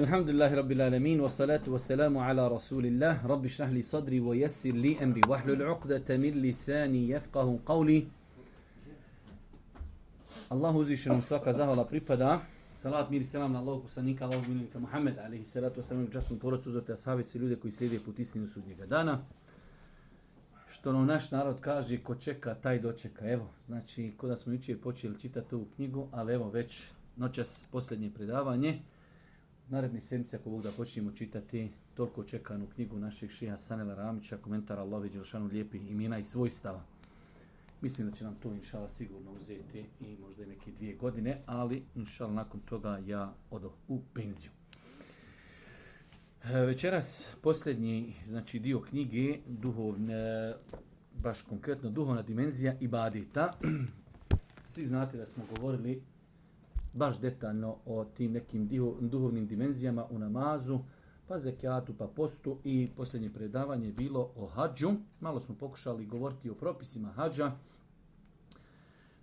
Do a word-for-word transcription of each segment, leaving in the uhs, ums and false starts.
Alhamdulillahi rabbil alamin wa salatu wa salamu ala rasulillah rabbi shrah li sadri wa yassir li amri wahlul 'uqdatan min lisani yafqahu qawli. Allahu uzvišenom svaka zahvala pripada. Salat mir i selam na Allahog poslanika, Allahog miljenika Muhammed alejhi salatu vesselam, časnu porodicu, uzvate ashabi, svi ljudi koji sjede put istinu sudnjega dana. Što nam naš narod kaže, ko čeka, taj dočeka. Evo, znači, ko da smo jučer počeli čitati ovu knjigu, ali evo već noćas posljednje predavanje. Naredni sedmice, ako Bog da počnemo čitati toliko čekanu knjigu našeg šeha Sanela Ramića, komentar Allahovi dželešanu lijepih imena i svojstava. Mislim da će nam to inšala sigurno uzeti i možda i neke dvije godine, ali inšala nakon toga ja odo u penziju. Večeras posljednji, znači dio knjige, duhovne, baš konkretno duhovna dimenzija ibadeta. Svi znate da smo govorili baš detaljno o tim nekim duhovnim dimenzijama u namazu, pa zekijatu, pa postu, i posljednje predavanje je bilo o hadžu. Malo smo pokušali govoriti o propisima hadža.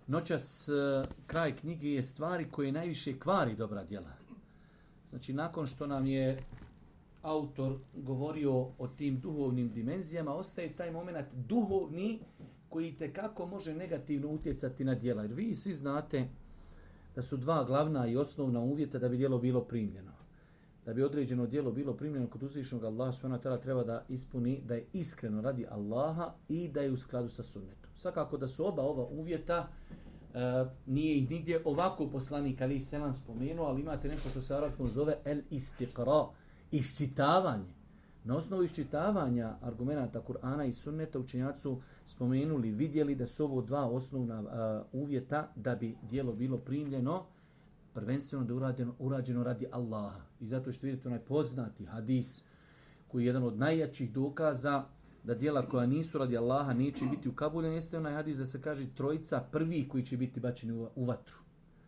Noćas kraj knjige je stvari koje najviše kvari dobra djela. Znači, nakon što nam je autor govorio o tim duhovnim dimenzijama, ostaje taj moment duhovni koji tekako može negativno utjecati na djela. Jer vi svi znate da su dva glavna i osnovna uvjeta da bi djelo bilo primljeno. Da bi određeno djelo bilo primljeno kod uzvišenog Allaha subhanahu wa ta'ala, treba da ispuni da je iskreno radi Allaha i da je u skladu sa sunnetom. Svakako da su oba ova uvjeta, e, nije ih nigdje ovako poslanik alejhi selam spomenuo, ali imate nešto što se arapskom zove el istiqra, iščitavanje. Na osnovu iščitavanja argumenata Kur'ana i sunneta učenjaci su spomenuli, vidjeli da su ovo dva osnovna uh, uvjeta da bi djelo bilo primljeno, prvenstveno da je urađeno, urađeno radi Allaha. I zato što vidite onaj poznati hadis koji je jedan od najjačih dokaza da djela koja nisu radi Allaha neće biti ukabuljena, jeste onaj hadis da se kaže trojica prvi koji će biti bačeni u, u vatru.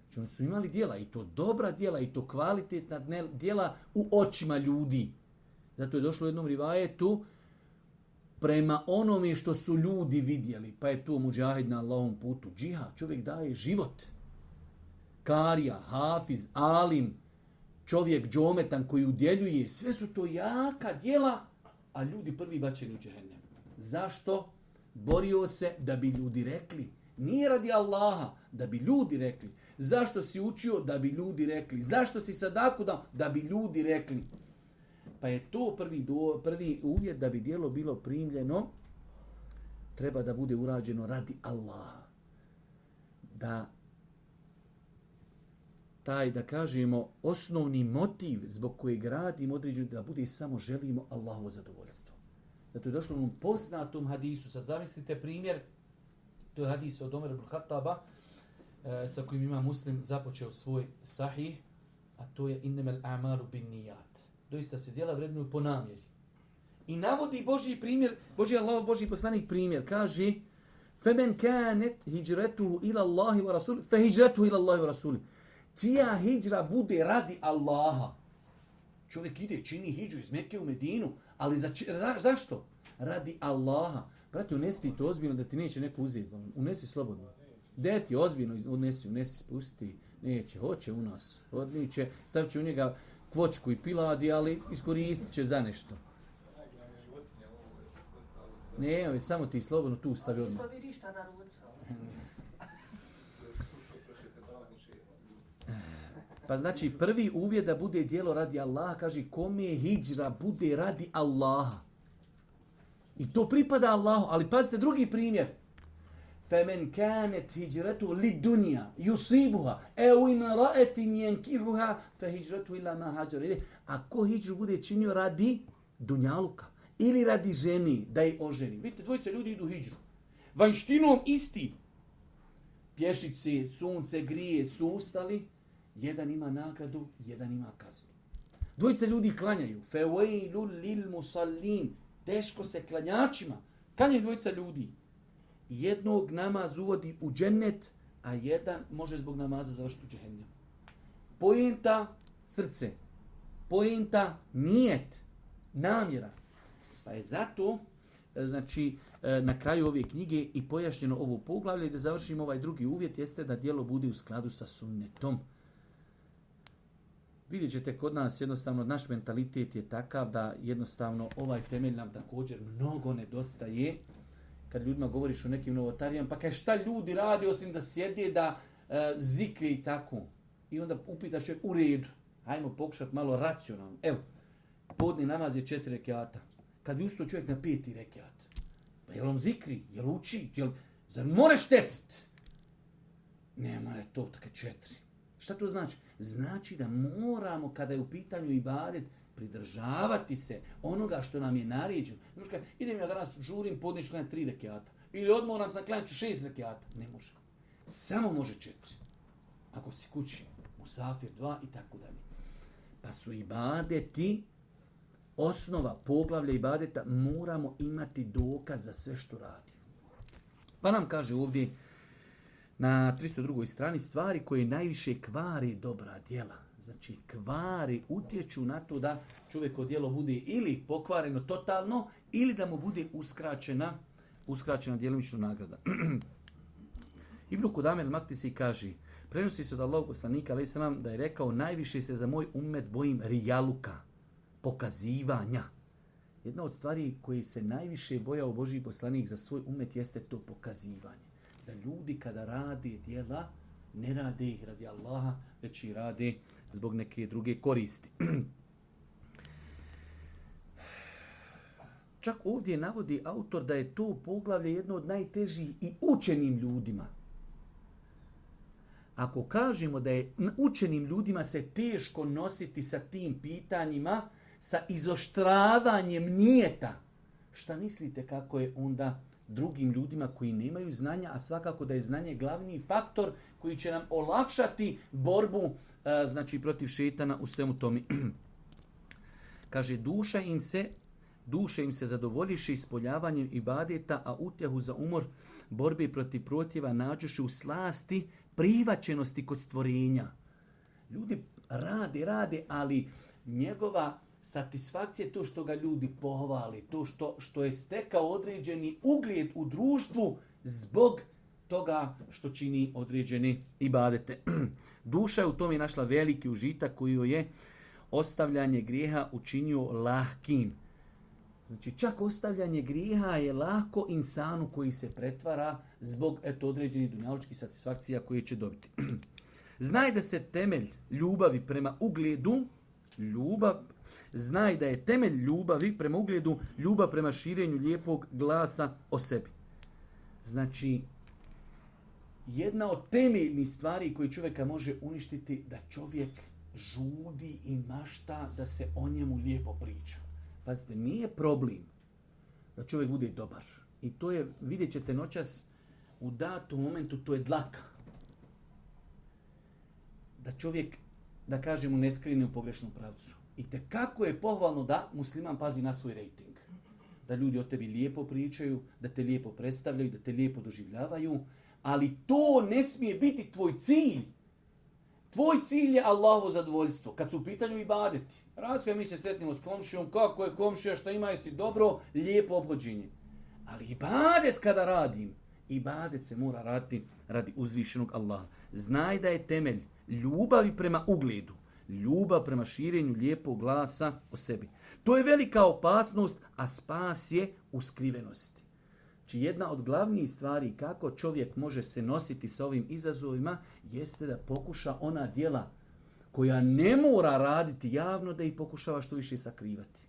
Znači oni su imali djela, i to dobra djela, i to kvalitetna djela u očima ljudi. Zato je došlo u jednom rivajetu prema onome što su ljudi vidjeli. Pa je tu muđahid na Allahom putu. Džihad, čovjek daje život. Karija, hafiz, alim, čovjek džometan koji udjeljuje. Sve su to jaka djela, a ljudi prvi bačeni u džehennem. Zašto? Borio se da bi ljudi rekli. Nije radi Allaha, da bi ljudi rekli. Zašto si učio? Da bi ljudi rekli. Zašto si sadaku dao? Da bi ljudi rekli. Pa je to prvi, do, prvi uvjet da bi djelo bilo primljeno, treba da bude urađeno radi Allaha. Da taj, da kažemo, osnovni motiv zbog kojeg radimo određeno da bude samo želimo Allahovo zadovoljstvo. Zato je došlo u onom poznatom hadisu. Sad zamislite primjer, to je hadis od Omer ibn Khattaba, e, sa kojim ima Muslim započeo svoj sahih, a to je innemel a'malu bin nijat. Doista se djela vrednuju po namjeri. I navodi Božji primjer, Božji Allah, Božji poslanik primjer, kaže فَمَنْ كَانَتْ هِجْرَتُهُ إِلَى اللَّهِ وَرَسُولِ فَهِجْرَتُهُ إِلَى اللَّهِ وَرَسُولِ. Čija hijđra bude radi Allaha. Čovjek ide, čini hijđu iz Mekke u Medinu, ali za, za, zašto? Radi Allaha. Brate, unesi to ozbiljno da ti neće neko uzeti. Unesi slobodno. De ti ozbiljno, unesi, unesi, pusti. Neće, hoće u nas. Odniće, stavit će u njega kvočku i piladi, ali iskoristit će za nešto. Ne, samo ti slobodno tu stavi odmah. Pa znači prvi uvjet da bude djelo radi Allaha, kaže kome hijđra bude radi Allaha. I to pripada Allahu, ali pazite drugi primjer. فَمَنْ كَانَتْ هِجْرَتُهُ لِدُنْيَا يُصِيبُهَا اَوْ إِمْرَأَةٍ يَنْكِحُهَا فَهِجْرَتُهُ إِلَّا مَا هَاجَرَ إِلَيْهِ. Ako hijđu bude činio radi dunjaluka ili radi ženi, da je oženi. Vidite, dvojice ljudi idu hijđu. Vanjštinom isti. Pješice, sunce, grije su ustali. Jedan ima nagradu, jedan ima kaznu. Dvojice ljudi klanjaju. فَوَيْلُ لِلْمُسَلِّينَ. Teško se klanjačima. Klanjaju dvojica ljudi. Jednog namaz uvodi u džennet, a jedan može zbog namaza završiti u džehennem. Poenta srce. Poenta nijet. Namjera. Pa je zato, znači, na kraju ove knjige i pojašnjeno ovo poglavlje, da završimo ovaj drugi uvjet, jeste da djelo bude u skladu sa sunnetom. vidjet ćete kod nas jednostavno, naš mentalitet je takav da jednostavno ovaj temelj nam također mnogo nedostaje. Kad ljudima govoriš o nekim novotarijama, pa kaj šta ljudi radi osim da sjede, da e, zikre i tako. I onda upitaš je u redu. Hajmo pokušati malo racionalno. Evo, podni namaz je četiri rekiata. Kad bi ustao čovjek na peti rekiat, pa jel on zikri, jel uči, jel, zar more štetit? Ne mora to, tako četiri. Šta to znači? Znači da moramo, kada je u pitanju ibadet, pridržavati se onoga što nam je naređeno. Ne može kada, idem ja danas žurim, podniš klanjati tri rekiata. Ili odmoram sam klanjati šest rekiata. Ne može. Samo može četiri. Ako si kući, musafir dva i tako dalje. Pa su ibadeti, osnova poglavlja ibadeta, moramo imati dokaz za sve što radi. Pa nam kaže ovdje na tristo drugoj strani stvari koje najviše kvari dobra djela. Znači kvari, utječu na to da čovjeko djelo bude ili pokvareno totalno, ili da mu bude uskraćena, uskraćena djelimična nagrada. Ibn Kudame al-Maktisi kaže, prenosi se od Allahog poslanika alejhi selam da je rekao, najviše se za moj ummet bojim rijaluka, pokazivanja. Jedna od stvari koji se najviše bojao Božji poslanik za svoj ummet jeste to pokazivanje. Da ljudi kada rade djela, ne rade ih radi Allaha, već i rade zbog neke druge koristi. Čak ovdje navodi autor da je to poglavlje jedno od najtežih i učenim ljudima. Ako kažemo da je učenim ljudima se teško nositi sa tim pitanjima, sa izoštravanjem nijeta, šta mislite kako je onda drugim ljudima koji nemaju znanja, a svakako da je znanje glavni faktor koji će nam olakšati borbu znači protiv šejtana u svemu tome. Kaže, duša im se duše im se zadovoljiše ispoljavanjem ibadeta, a utjehu za umor borbe protiv protjeva nađuše u slasti prihvaćenosti kod stvorenja. Ljudi rade, rade, ali njegova satisfakcija je to što ga ljudi pohvali, to što, što je stekao određeni ugled u društvu zbog toga što čini određene ibadete. Duša je u tome našla veliki užitak koji joj je ostavljanje grijeha učinio lahkim. Znači čak ostavljanje grijeha je lako insanu koji se pretvara zbog eto određenih dunjalučkih satisfakcija koje će dobiti. Znaj da se temelj ljubavi prema ugledu, ljubav, znaj da je temelj ljubavi prema ugledu ljubav prema širenju lijepog glasa o sebi. Znači, jedna od temeljnih stvari koje čovjeka može uništiti, da čovjek žudi i mašta da se o njemu lijepo priča. Pazite, nije problem da čovjek bude dobar. I to je, vidjet ćete noćas, u datom momentu, to je dlaka. Da čovjek, da kažemo, ne skrine u pogrešnom pravcu. I te kako je pohvalno da musliman pazi na svoj rejting. Da ljudi o tebi lijepo pričaju, da te lijepo predstavljaju, da te lijepo doživljavaju, ali to ne smije biti tvoj cilj. Tvoj cilj je Allahovo zadovoljstvo. Kad su u pitanju ibadeti, razkaj mi se sretnimo s komšijom, kako je komšija, šta ima, jesi dobro, lijepo obhođenje. Ali ibadet kada radim, ibadet se mora raditi radi uzvišenog Allaha. Znaj da je temelj ljubavi prema ugledu, ljubav prema širenju lijepog glasa o sebi. To je velika opasnost, a spas je u skrivenosti. Znači jedna od glavnih stvari kako čovjek može se nositi sa ovim izazovima jeste da pokuša ona djela koja ne mora raditi javno, da ih pokušava što više sakrivati.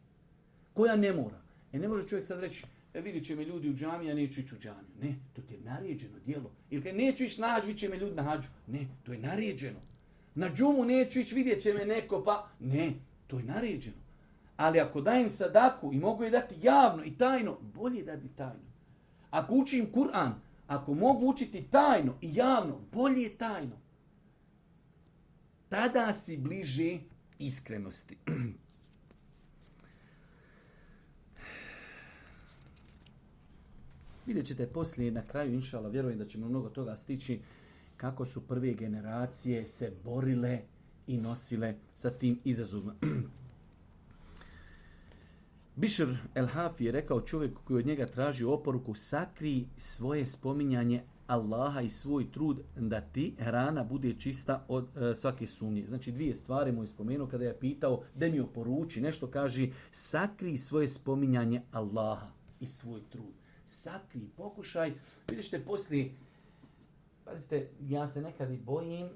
Koja ne mora. E ne može čovjek sad reći, e vidit će me ljudi u džamiji, ja neću ići u džamiju. Ne, to ti je naređeno djelo. Ili kad neću ići na hađ, vidit će me ljudi na hađu. Ne, to je naređeno. Na džumu neću ići, vidjet će me neko, pa ne, to je naređeno. Ali ako dajem sadaku i mogu je dati javno i tajno, bolje je dati tajno. Ako učim Kur'an, ako mogu učiti tajno i javno, bolje je tajno. Tada si bliže iskrenosti. Vidjet ćete poslije na kraju, inšala, vjerujem da ćemo mnogo toga stići, kako su prve generacije se borile i nosile sa tim izazovima. Bišr el-Hafi je rekao čovjeku koji od njega traži oporuku, sakri svoje spominjanje Allaha i svoj trud da ti hrana bude čista od e, svake sumnje. Znači dvije stvari mu je spomenuo kada je pitao da mi oporuči nešto, kaže sakri svoje spominjanje Allaha i svoj trud. Sakri, pokušaj. Vidite poslije, pazite, ja se nekad i bojim,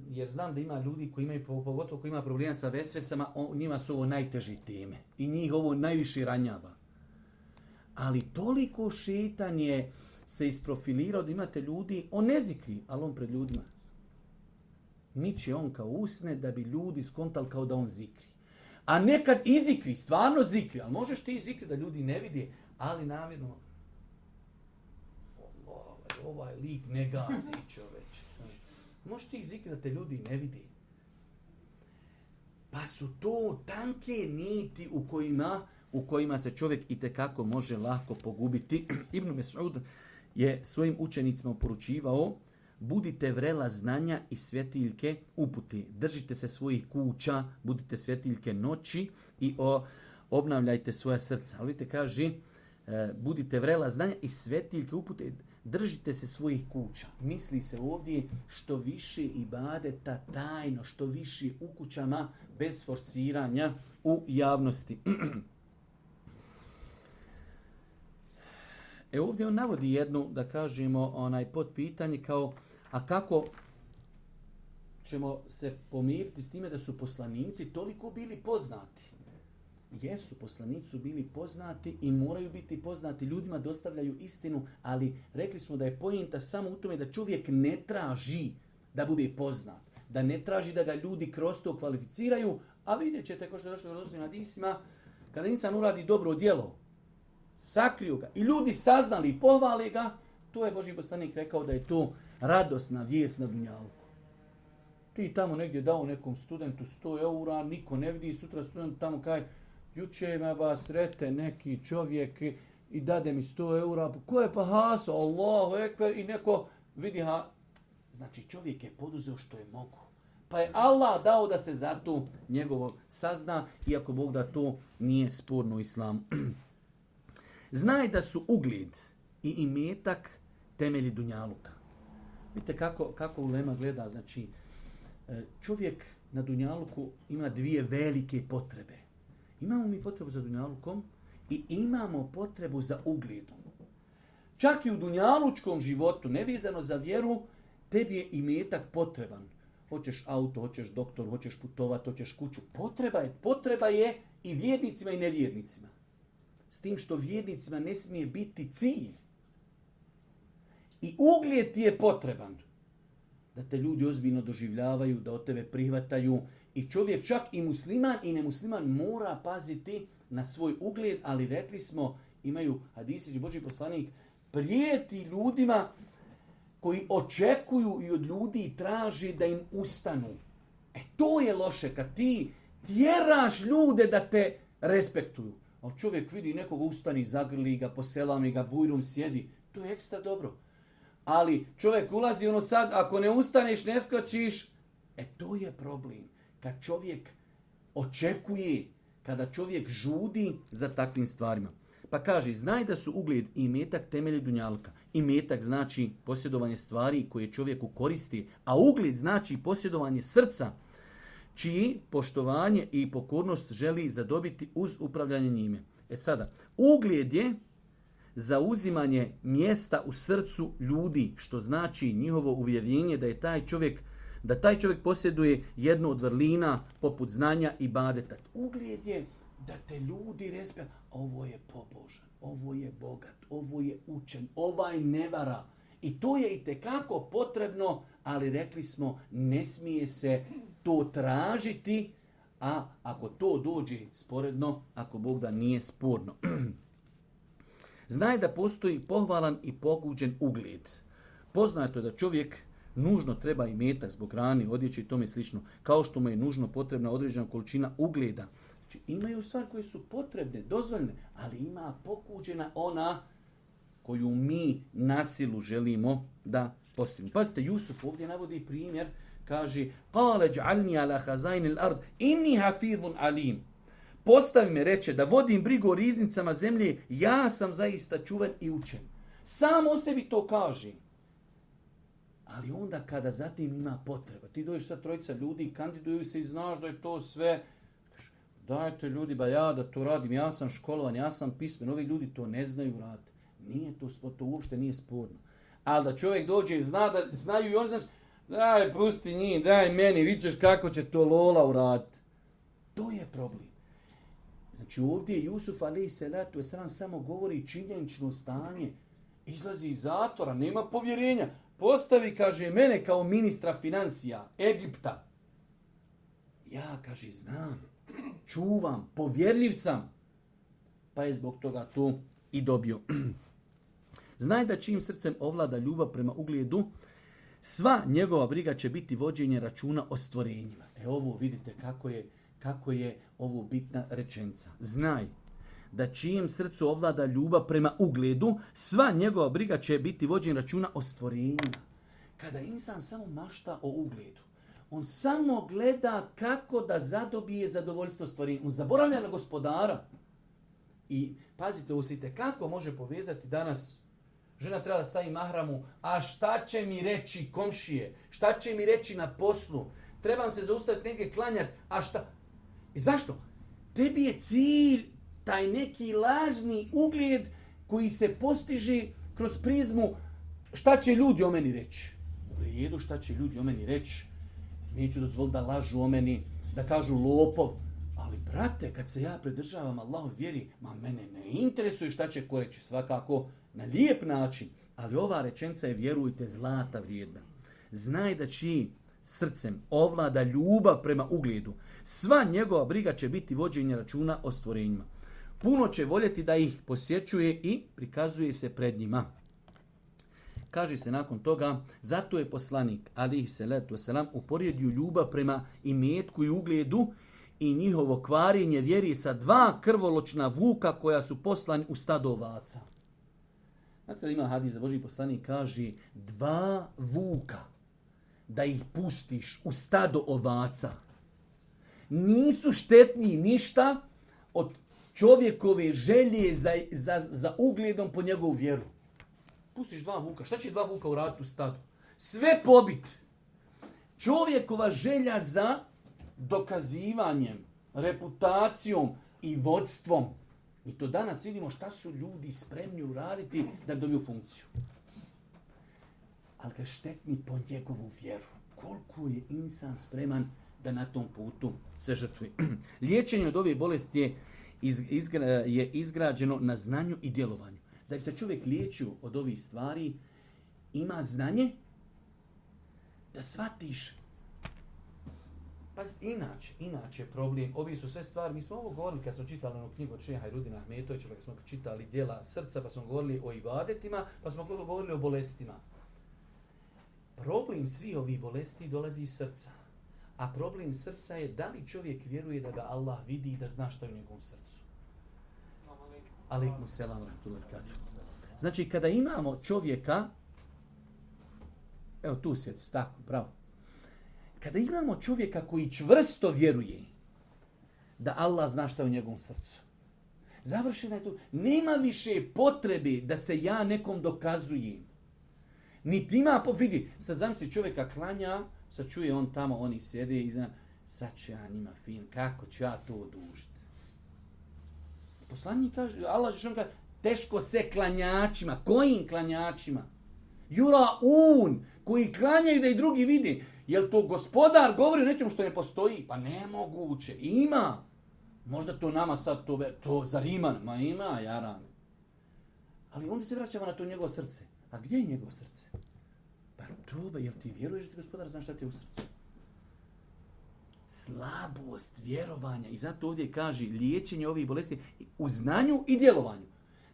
jer znam da ima ljudi koji imaju, pogotovo koji ima problema sa vesvesama, on, njima su ovo najteži teme. I njih ovo najviše ranjava. Ali toliko šetan je se isprofilirao da imate ljudi, on ne zikri, ali on pred ljudima. Miče on kao usne da bi ljudi skontali kao da on zikri. A nekad i zikri, stvarno zikri, ali možeš ti zikri da ljudi ne vidi, ali namjerno ovaj, ovaj lik ne gasi čoveč. Možeš ti zikri da te ljudi ne vidi. Pa su to tanke niti u kojima u kojima se čovjek itekako može lako pogubiti. Ibn Mes'ud je svojim učenicima poručivao: budite vrela znanja i svjetiljke uputi. Držite se svojih kuća, budite svjetiljke noći i o, obnavljajte svoja srca. Ali vidite, kaže, budite vrela znanja i svjetiljke upute. Držite se svojih kuća. Misli se ovdje što više ibadeta tajno, što više u kućama bez forsiranja u javnosti. E ovdje on navodi jednu, da kažemo, onaj podpitanje kao, a kako ćemo se pomiriti s time da su poslanici toliko bili poznati? Jesu, poslanici su bili poznati i moraju biti poznati, ljudima dostavljaju istinu, ali rekli smo da je pojenta samo u tome da čovjek ne traži da bude poznat, da ne traži da ga ljudi kroz to kvalificiraju, a vidjet ćete, kao što je došlo u vjerodostojnim hadisima, kada insan uradi dobro djelo, sakriju ga i ljudi saznali i pohvali ga, to je Božji poslanik rekao da je to radosna vijest na dunjalku. Ti tamo negdje dao nekom studentu sto eura, niko ne vidi, sutra student tamo kaj, juče me ba srete neki čovjek i dade mi sto eura, ko je pa haso, Allahu ekber, i neko vidi ha. Znači čovjek je poduzeo što je mogu. Pa je Allah dao da se za to njegovo sazna, iako Bog da to nije sporno u islamu. Znaj da su ugled i imetak temelji dunjaluka. Vidite kako, kako ulema gleda. Znači, čovjek na dunjaluku ima dvije velike potrebe. Imamo mi potrebu za dunjalukom i imamo potrebu za ugledom. Čak i u dunjalučkom životu, nevezano za vjeru, tebi je imetak potreban. Hoćeš auto, hoćeš doktor, hoćeš putovat, hoćeš kuću. Potreba je, potreba je i vjernicima i nevjernicima. S tim što vjernicima ne smije biti cilj. I ugled ti je potreban. Da te ljudi ozbiljno doživljavaju, da od tebe prihvataju. I čovjek, čak i musliman i nemusliman, mora paziti na svoj ugled, ali rekli smo, imaju hadisi, Božji poslanik prijeti ljudima koji očekuju i od ljudi i traži da im ustanu. E to je loše, kad ti tjeraš ljude da te respektuju. Ali čovjek vidi nekoga ustani, zagrli ga, poselami ga, bujrum sjedi. To je ekstra dobro. Ali čovjek ulazi ono sad, ako ne ustaneš, ne skočiš, e to je problem. Kad čovjek očekuje, kada čovjek žudi za takvim stvarima. Pa kaže, znaj da su ugled i imetak temelji dunjalka. Imetak znači posjedovanje stvari koje čovjeku koristi, a ugled znači posjedovanje srca, čiji poštovanje i pokornost želi zadobiti uz upravljanje njime. E sada, ugled je zauzimanje mjesta u srcu ljudi, što znači njihovo uvjerenje da je taj čovjek, da taj čovjek posjeduje jednu od vrlina poput znanja i ibadeta. Ugled je da te ljudi respektuju. Ovo je pobožan, ovo je bogat, ovo je učen, ovaj ne vara. I to je itekako potrebno, ali rekli smo, ne smije se to tražiti, a ako to dođe sporedno, ako Bog da nije sporno. Znaj da postoji pohvalan i poguđen ugled. Poznato je da čovjek nužno treba imetak zbog hrane, odjeće i tome slično, kao što mu je nužno potrebna određena količina ugleda. Znači, imaju stvari koje su potrebne, dozvoljene, ali ima pokuđena ona koju mi na silu želimo da postignemo. Pazite, Jusuf ovdje navodi primjer, kaže: "Qala ij'alni ala khazain al-ard inni hafizun alim." Postavi me, reče, da vodim brigu o riznicama zemlje, ja sam zaista čuven i učen. Sam o sebi to kaže. Ali onda kada zatim ima potreba, ti dođeš sa trojica ljudi, kandiduju se i znaš da je to sve, dajte ljudi, ba ja da to radim, ja sam školovan, ja sam pismen, ovi ljudi to ne znaju raditi. Nije to, to uopšte nije sporno. Ali da čovjek dođe i zna da znaju i oni znaš, daj, pusti njih, daj meni, vidiš kako će to Lola uraditi. To je problem. Znači ovdje Jusuf alejhi selatu vesselam samo govori činjenično stanje, izlazi iz zatvora, nema povjerenja, postavi, kaže, mene kao ministra financija Egipta. Ja, kaže, znam, čuvam, povjerljiv sam, pa je zbog toga to i dobio. Znaj da čim srcem ovlada ljubav prema ugledu, sva njegova briga će biti vođenje računa o stvorenjima. E ovo vidite kako je, kako je ovo bitna rečenica. Znaj da čijem srcu ovlada ljubav prema ugledu, sva njegova briga će biti vođenje računa o stvorenjima. Kada insan samo mašta o ugledu, on samo gleda kako da zadobije zadovoljstvo stvorenja. On zaboravlja na gospodara. I pazite, usite, kako može povezati danas, žena treba da stavi mahramu, a šta će mi reći komšije, šta će mi reći na poslu, trebam se zaustaviti negdje klanjati, a šta? I zašto? Tebi je cilj taj neki lažni ugled koji se postiže kroz prizmu šta će ljudi o meni reći. U redu, šta će ljudi o meni reći. Neću dozvoliti da lažu o meni, da kažu lopov. Ali, brate, kad se ja pridržavam Allahov vjeri, ma mene ne interesuje šta će ko reći. Svakako na lijep način. Ali ova rečenica je, vjerujte, zlata vrijedna. Znaj da čiji srcem ovlada ljubav prema ugledu, sva njegova briga će biti vođenje računa o stvorenjima. Puno će voljeti da ih posjećuje i prikazuje se pred njima. Kaže se nakon toga, zato je poslanik, alejhi selatu vesselam, uporedio ljubav prema imetku i ugledu i njihovo kvarenje vjeri sa dva krvoločna vuka koja su poslani u stado ovaca. Znate li ima hadis da Božji poslanik kaže, dva vuka, da ih pustiš u stado ovaca, nisu štetni ništa od čovjekove želje za, za, za ugledom po njegovu vjeru. Pustiš dva vuka. Šta će dva vuka uraditi u stadu? Sve pobit. Čovjekova želja za dokazivanjem, reputacijom i vodstvom. Mi to danas vidimo šta su ljudi spremni uraditi da dobiju funkciju. Ali ga štetni po njegovu vjeru. Koliko je insan spreman da na tom putu se žrtvi. Liječenje od ove bolesti je, izgra, je izgrađeno na znanju i djelovanju. Da bi se čovjek liječio od ovih stvari, ima znanje da shvatiš. Pa inače, inače problem, ovi su sve stvari, mi smo ovo govorili kad smo čitali onu knjigu od šeha Hajrudina Ahmetovića, pa kad smo čitali djela srca, pa smo govorili o ibadetima, pa smo govorili o bolestima. Problem svih ovih bolesti dolazi iz srca. A problem srca je da li čovjek vjeruje da ga Allah vidi i da zna šta je u njegovom srcu. Alejkum selam rahmetullahi ve berekatuh. Znači, kada imamo čovjeka, evo tu sjedi, tako, bravo. Kada imamo čovjeka koji čvrsto vjeruje da Allah zna šta je u njegovom srcu, završena je tu, nema više potrebe da se ja nekom dokazujem. Niti ima, vidi, sad zamisli čovjeka klanja, sad čuje on tamo, oni sjede i zna, sad ću ja njima fin, kako ću ja to odužiti. Poslanik kaže, Allah što kaže, teško se klanjačima. Kojim klanjačima? Jura un, koji klanjaju da i drugi vidi. Jel to gospodar govori o nečemu što ne postoji? Pa nemoguće. Ima. Možda to nama sad, to, to zar ima? Ma ima, jarane. Ali onda se vraćamo na to njegovo srce. A gdje je njegovo srce? Pa to, jel ti vjeruješ da ti gospodar zna šta ti je u srcu? Slabost vjerovanja. I zato ovdje kaže liječenje ovih bolesti u znanju i djelovanju.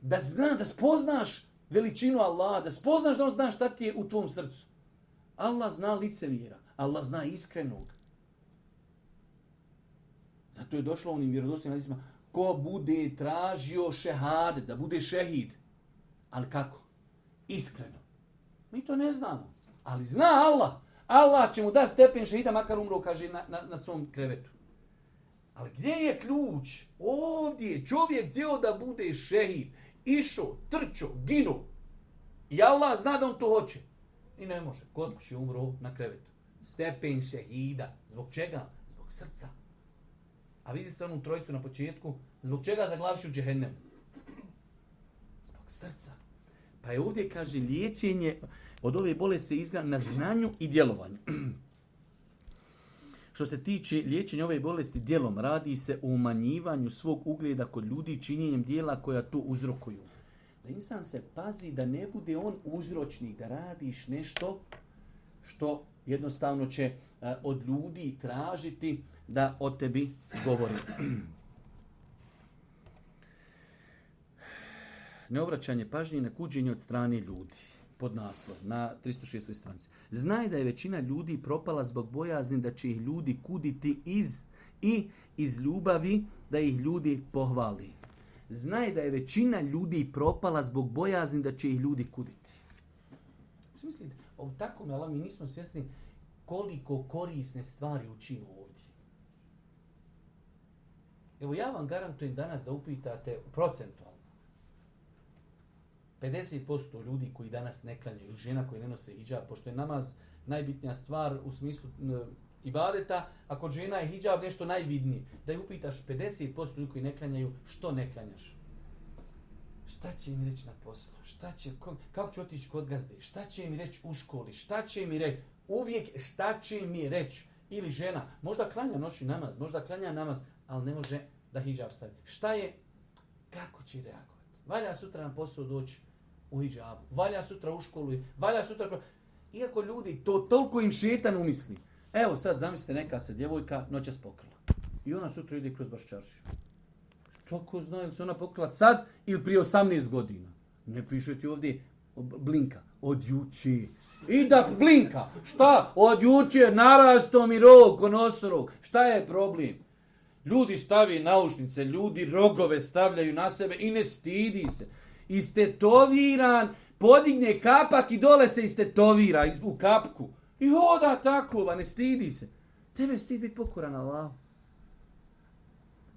Da zna, da spoznaš veličinu Allaha, da spoznaš da on zna šta ti je u tvom srcu. Allah zna licemjera, Allah zna iskrenog. Zato je došlo onim vjerodostojnim hadisima, ko bude tražio šehadet, da bude šehid. Ali kako? Iskreno. Mi to ne znamo. Ali zna Allah. Allah će mu dati stepen šehida, makar umro, kaže, na, na, na svom krevetu. Ali gdje je ključ? Ovdje je čovjek htio da bude šehid. Išao, trčao, ginuo. I Allah zna da on to hoće. I ne može. Kod kuće umro na krevetu. Stepen šehida. Zbog čega? Zbog srca. A vidi se onu trojicu na početku. Zbog čega zaglaviš u džehennemu? Zbog srca. Pa je ovdje, kaže, liječenje od ove bolesti izgleda na znanju i djelovanju. Što se tiče liječenja ove bolesti djelom, radi se o umanjivanju svog ugleda kod ljudi činjenjem dijela koja to uzrokuju. Da insan se pazi da ne bude on uzročnik, da radiš nešto što jednostavno će uh, od ljudi tražiti da o tebi govori. Neobraćanje pažnje na kuđenje od strane ljudi. Pod naslov, na tristo šestoj stranici. Znaj da je većina ljudi propala zbog bojazni da će ih ljudi kuditi iz i iz ljubavi da ih ljudi pohvali. Znaj da je većina ljudi propala zbog bojazni da će ih ljudi kuditi. Što mislite? Ovo tako me, ali mi nismo svjesni koliko korisne stvari učimo ovdje. Evo ja vam garantujem danas da upitate procentualno. pedeset posto ljudi koji danas ne klanjaju, žena koji ne nose hidžab, pošto je namaz najbitnija stvar u smislu e, ibadeta, a kod žena je hidžab nešto najvidnije. Da je upitaš pedeset posto ljudi koji ne klanjaju, što ne klanjaš? Šta će mi reći na poslu? Šta će, kako ću otići kod gazde? Šta će mi reći u školi? Šta će mi reći? Uvijek šta će mi reći? Ili žena, možda klanja noćni namaz, možda klanja namaz, ali ne može da hidžab stavi. Šta je? Kako će reagovati? Valja sutra na posao doći u hidžabu, valja sutra u školu, valja sutra... Iako ljudi, to toliko im šetan umisli. Evo sad, zamislite, neka se djevojka noćas pokrila. I ona sutra ide kroz Baščaršiju. Što ko zna, ili se ona pokrila sad ili prije osamnaest godina? Ne piše ti ovdje blinka. Od juče. I da blinka. Šta? Od juče narasto mi rog, konosorog. Šta je problem? Ljudi stavi naušnice, ljudi rogove stavljaju na sebe i ne stidi se. Istetoviran, podigne kapak i dole se istetovira u kapku. I hoda tako, ba ne stidi se. Tebe stidi biti pokoran Allahu.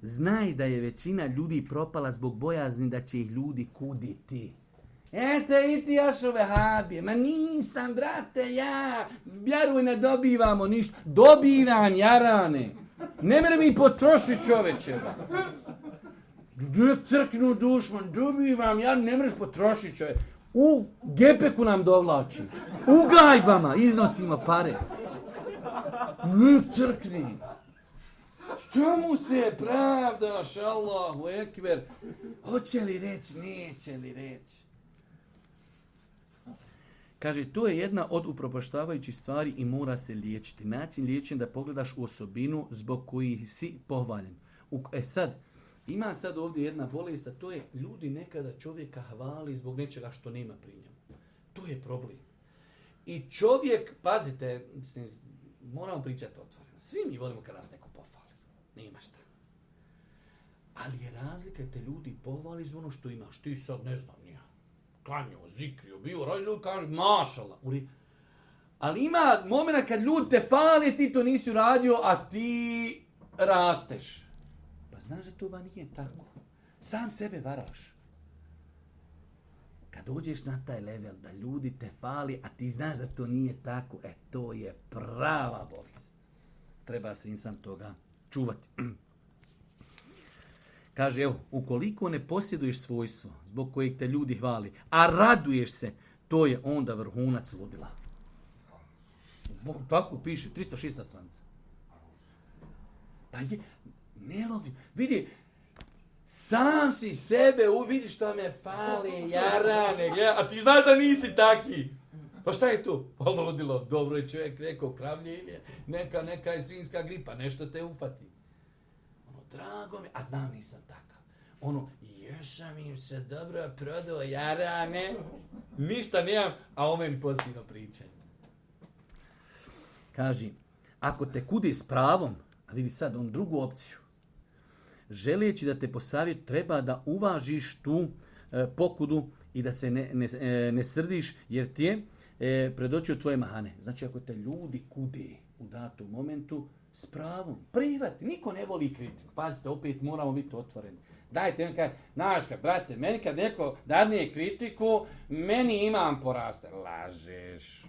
Znaj da je većina ljudi propala zbog bojazni da će ih ljudi kuditi. Eto i ti još ove habije. Ma nisam, brate, ja. Vjeruj, ne dobivamo ništa. Dobivam, jarane. Ne mere mi potrošiti čovečeva. Crknu dušman, dobivam, ja ne mreš potrošiti čovjek. U gepeku nam dovlači. U gajbama iznosimo pare. Nek crkni. Što mu se pravdaš, Allahu ekber? Hoće li reći, neće li reći? Kaže, to je jedna od upropaštavajućih stvari i mora se liječiti. Način liječenja da pogledaš u osobinu zbog kojih si pohvaljen. U, e sad, ima sad ovdje jedna bolest, a to je ljudi nekada čovjeka hvali zbog nečega što nema pri njemu. To je problem. I čovjek, pazite, moramo pričati otvoreno. Svi mi volimo kada nas neko pohvali. Nema šta. Ali je razlika te ljudi pohvali za ono što imaš. Ti sad ne znam, nija. Klanjao, zikrio, bio, radi ljudi kaže, mašala. Ali ima momena kad ljudi te fali, ti to nisi uradio, a ti rasteš. Pa znaš da to ba nije tako. Sam sebe varaš. Kad dođeš na taj level da ljudi te fali, a ti znaš da to nije tako, e to je prava bolest. Treba se insan toga čuvati. Kaže, evo, ukoliko ne posjeduješ svojstvo zbog kojeg te ljudi hvali, a raduješ se, to je onda vrhunac ludila. Tako piše, tristo šesta stranica. Pa je, nelogično. Vidi, sam si sebe uvidi što me fali, jarane, gleda, a ti znaš da nisi taki. Pa šta je tu? Pa ludilo, dobro je čovjek rekao, kravljenje, neka, neka je svinska gripa, nešto te ufati. Ono, drago mi, a znam nisam takav. Ono, još sam im se dobro prodao, jarane, ništa nemam, a ome mi pozitivno pričaju. Kaži, ako te kudi s pravom, a vidi sad on drugu opciju, želeći da te posavjet, treba da uvažiš tu e, pokudu i da se ne, ne, e, ne srdiš, jer ti je e, predočio tvoje mahane. Znači, ako te ljudi kude u datom momentu, s pravom, prihvati, niko ne voli kritiku. Pazite, opet moramo biti otvoreni. Dajte, on kaže, znaš kad, brate, meni kad neko dadne kritiku, meni imam poraste. Lažeš.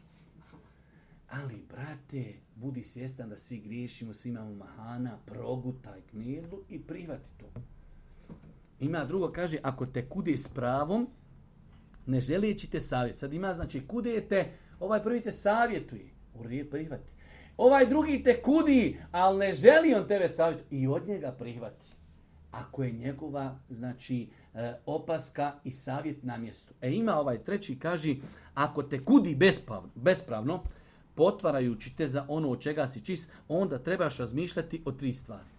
Ali, brate, budi svjestan da svi griješimo, svi imamo mahana, progutaj knedlu i prihvati to. Ima drugo, kaže, ako te kude s pravom, ne želeći te savjet. Sad ima, znači, kudete, ovaj prvi te savjetuje, urije prihvati. Ovaj drugi te kudi, ali ne želi on tebe savjetuje i od njega prihvati. Ako je njegova, znači, opaska i savjet na mjestu. E ima ovaj treći, kaže, ako te kudi bespravno, bespravno potvarajući te za ono od čega si čist, onda trebaš razmišljati o tri stvari.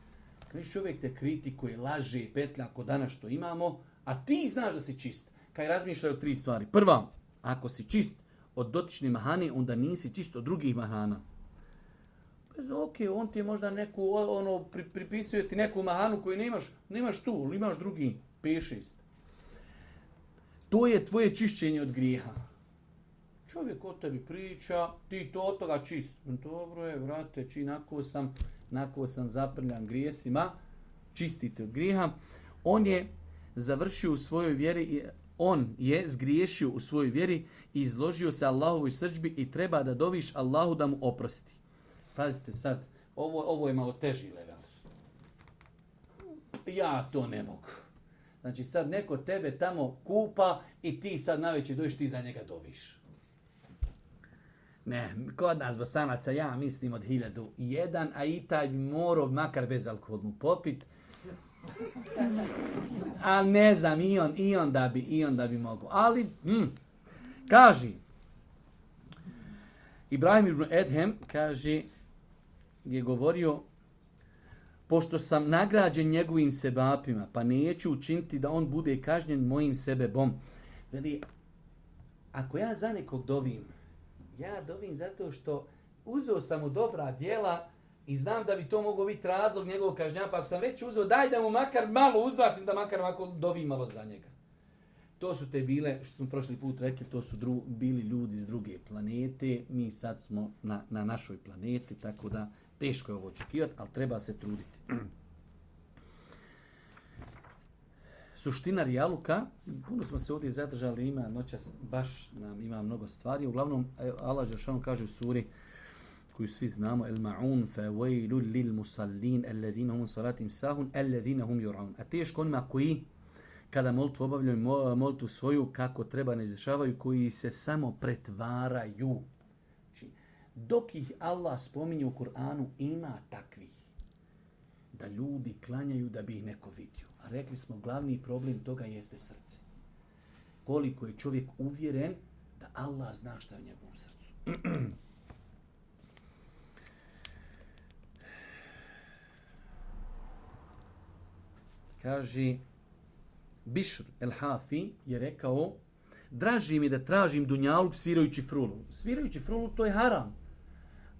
Kad čovjek te kritikuje, laže i petlja ako danas što imamo, a ti znaš da si čist, kaj razmišljaj o tri stvari. Prva, ako si čist od dotične mahane, onda nisi čist od drugih mahana. Bez, ok, on ti je možda neku, ono, pri, pripisuje ti neku mahanu koju nemaš, nemaš tu, ali imaš drugi, pet šest. To je tvoje čišćenje od grijeha. Čovjek o tebi priča, ti to od toga čist. Dobro je, vrate, či nako sam, nako sam zaprljan grijesima, čistite od grijeha. On je završio u svojoj vjeri, on je zgriješio u svojoj vjeri i izložio se Allahovoj srdžbi i treba da doviš Allahu da mu oprosti. Pazite sad, ovo, ovo je malo teži level. Ja to ne mogu. Znači sad neko tebe tamo kupa i ti sad najveće dođeš, ti za njega doviš. Ne, kod nas Bosanaca ja mislim od hiljadu i jedan, a i taj bi morao makar bezalkoholnu popit. A ne znam, i on, i on da bi, i on da bi mogu. Ali, hm, kaži, Ibrahim ibn Edhem, kaže, je govorio, pošto sam nagrađen njegovim sebapima, pa neću učiniti da on bude kažnjen mojim sebebom. Veli, ako ja za nekog dovim, ja dovim zato što uzeo sam mu dobra djela i znam da bi to mogao biti razlog njegovog kažnjava, pa ako sam već uzeo, daj da mu makar malo uzvratim, da makar ovako dovim malo za njega. To su te bile, što smo prošli put rekli, to su dru, bili ljudi iz druge planete, mi sad smo na, na našoj planeti, tako da teško je ovo očekivati, ali treba se truditi. Suština rijaluka, puno smo se ovdje zadržali, ima noćas, baš nam ima mnogo stvari. Uglavnom, Allah Đelešanu kaže u suri koju svi znamo, el ma'un fa wailul lil musallin alladhina hum salatim sahun alladhina hum yur'un. A teško onima koji kada molitvu obavljaju molitvu svoju kako treba ne izvršavaju, koji se samo pretvaraju. Znači, dok ih Allah spominje u Kur'anu, ima takvih da ljudi klanjaju da bi ih neko vidio. A rekli smo, glavni problem toga jeste srce. Koliko je čovjek uvjeren da Allah zna šta je u njegovom srcu. Kaže, Bišr el-Hafi je rekao, draži mi da tražim dunjaluk svirajući frulu. Svirajući frulu to je haram.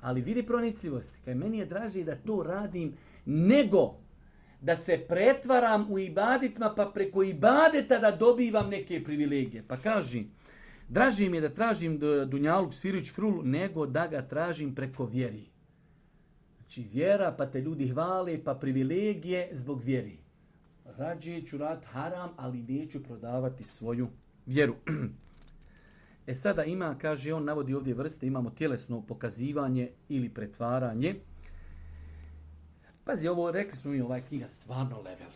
Ali vidi pronicljivosti. Kaj meni je draži da to radim nego da se pretvaram u ibadetma pa preko ibadeta da dobivam neke privilegije. Pa kaži, draži mi je da tražim dunjaluk svirajući frulu nego da ga tražim preko vjeri. Znači vjera pa te ljudi hvale pa privilegije zbog vjeri. Rađe ću rad haram, ali neću prodavati svoju vjeru. E sada ima, kaže, on navodi ovdje vrste, imamo tjelesno pokazivanje ili pretvaranje. Pazi, ovo, rekli smo mi, ovaj knjiga stvarno level.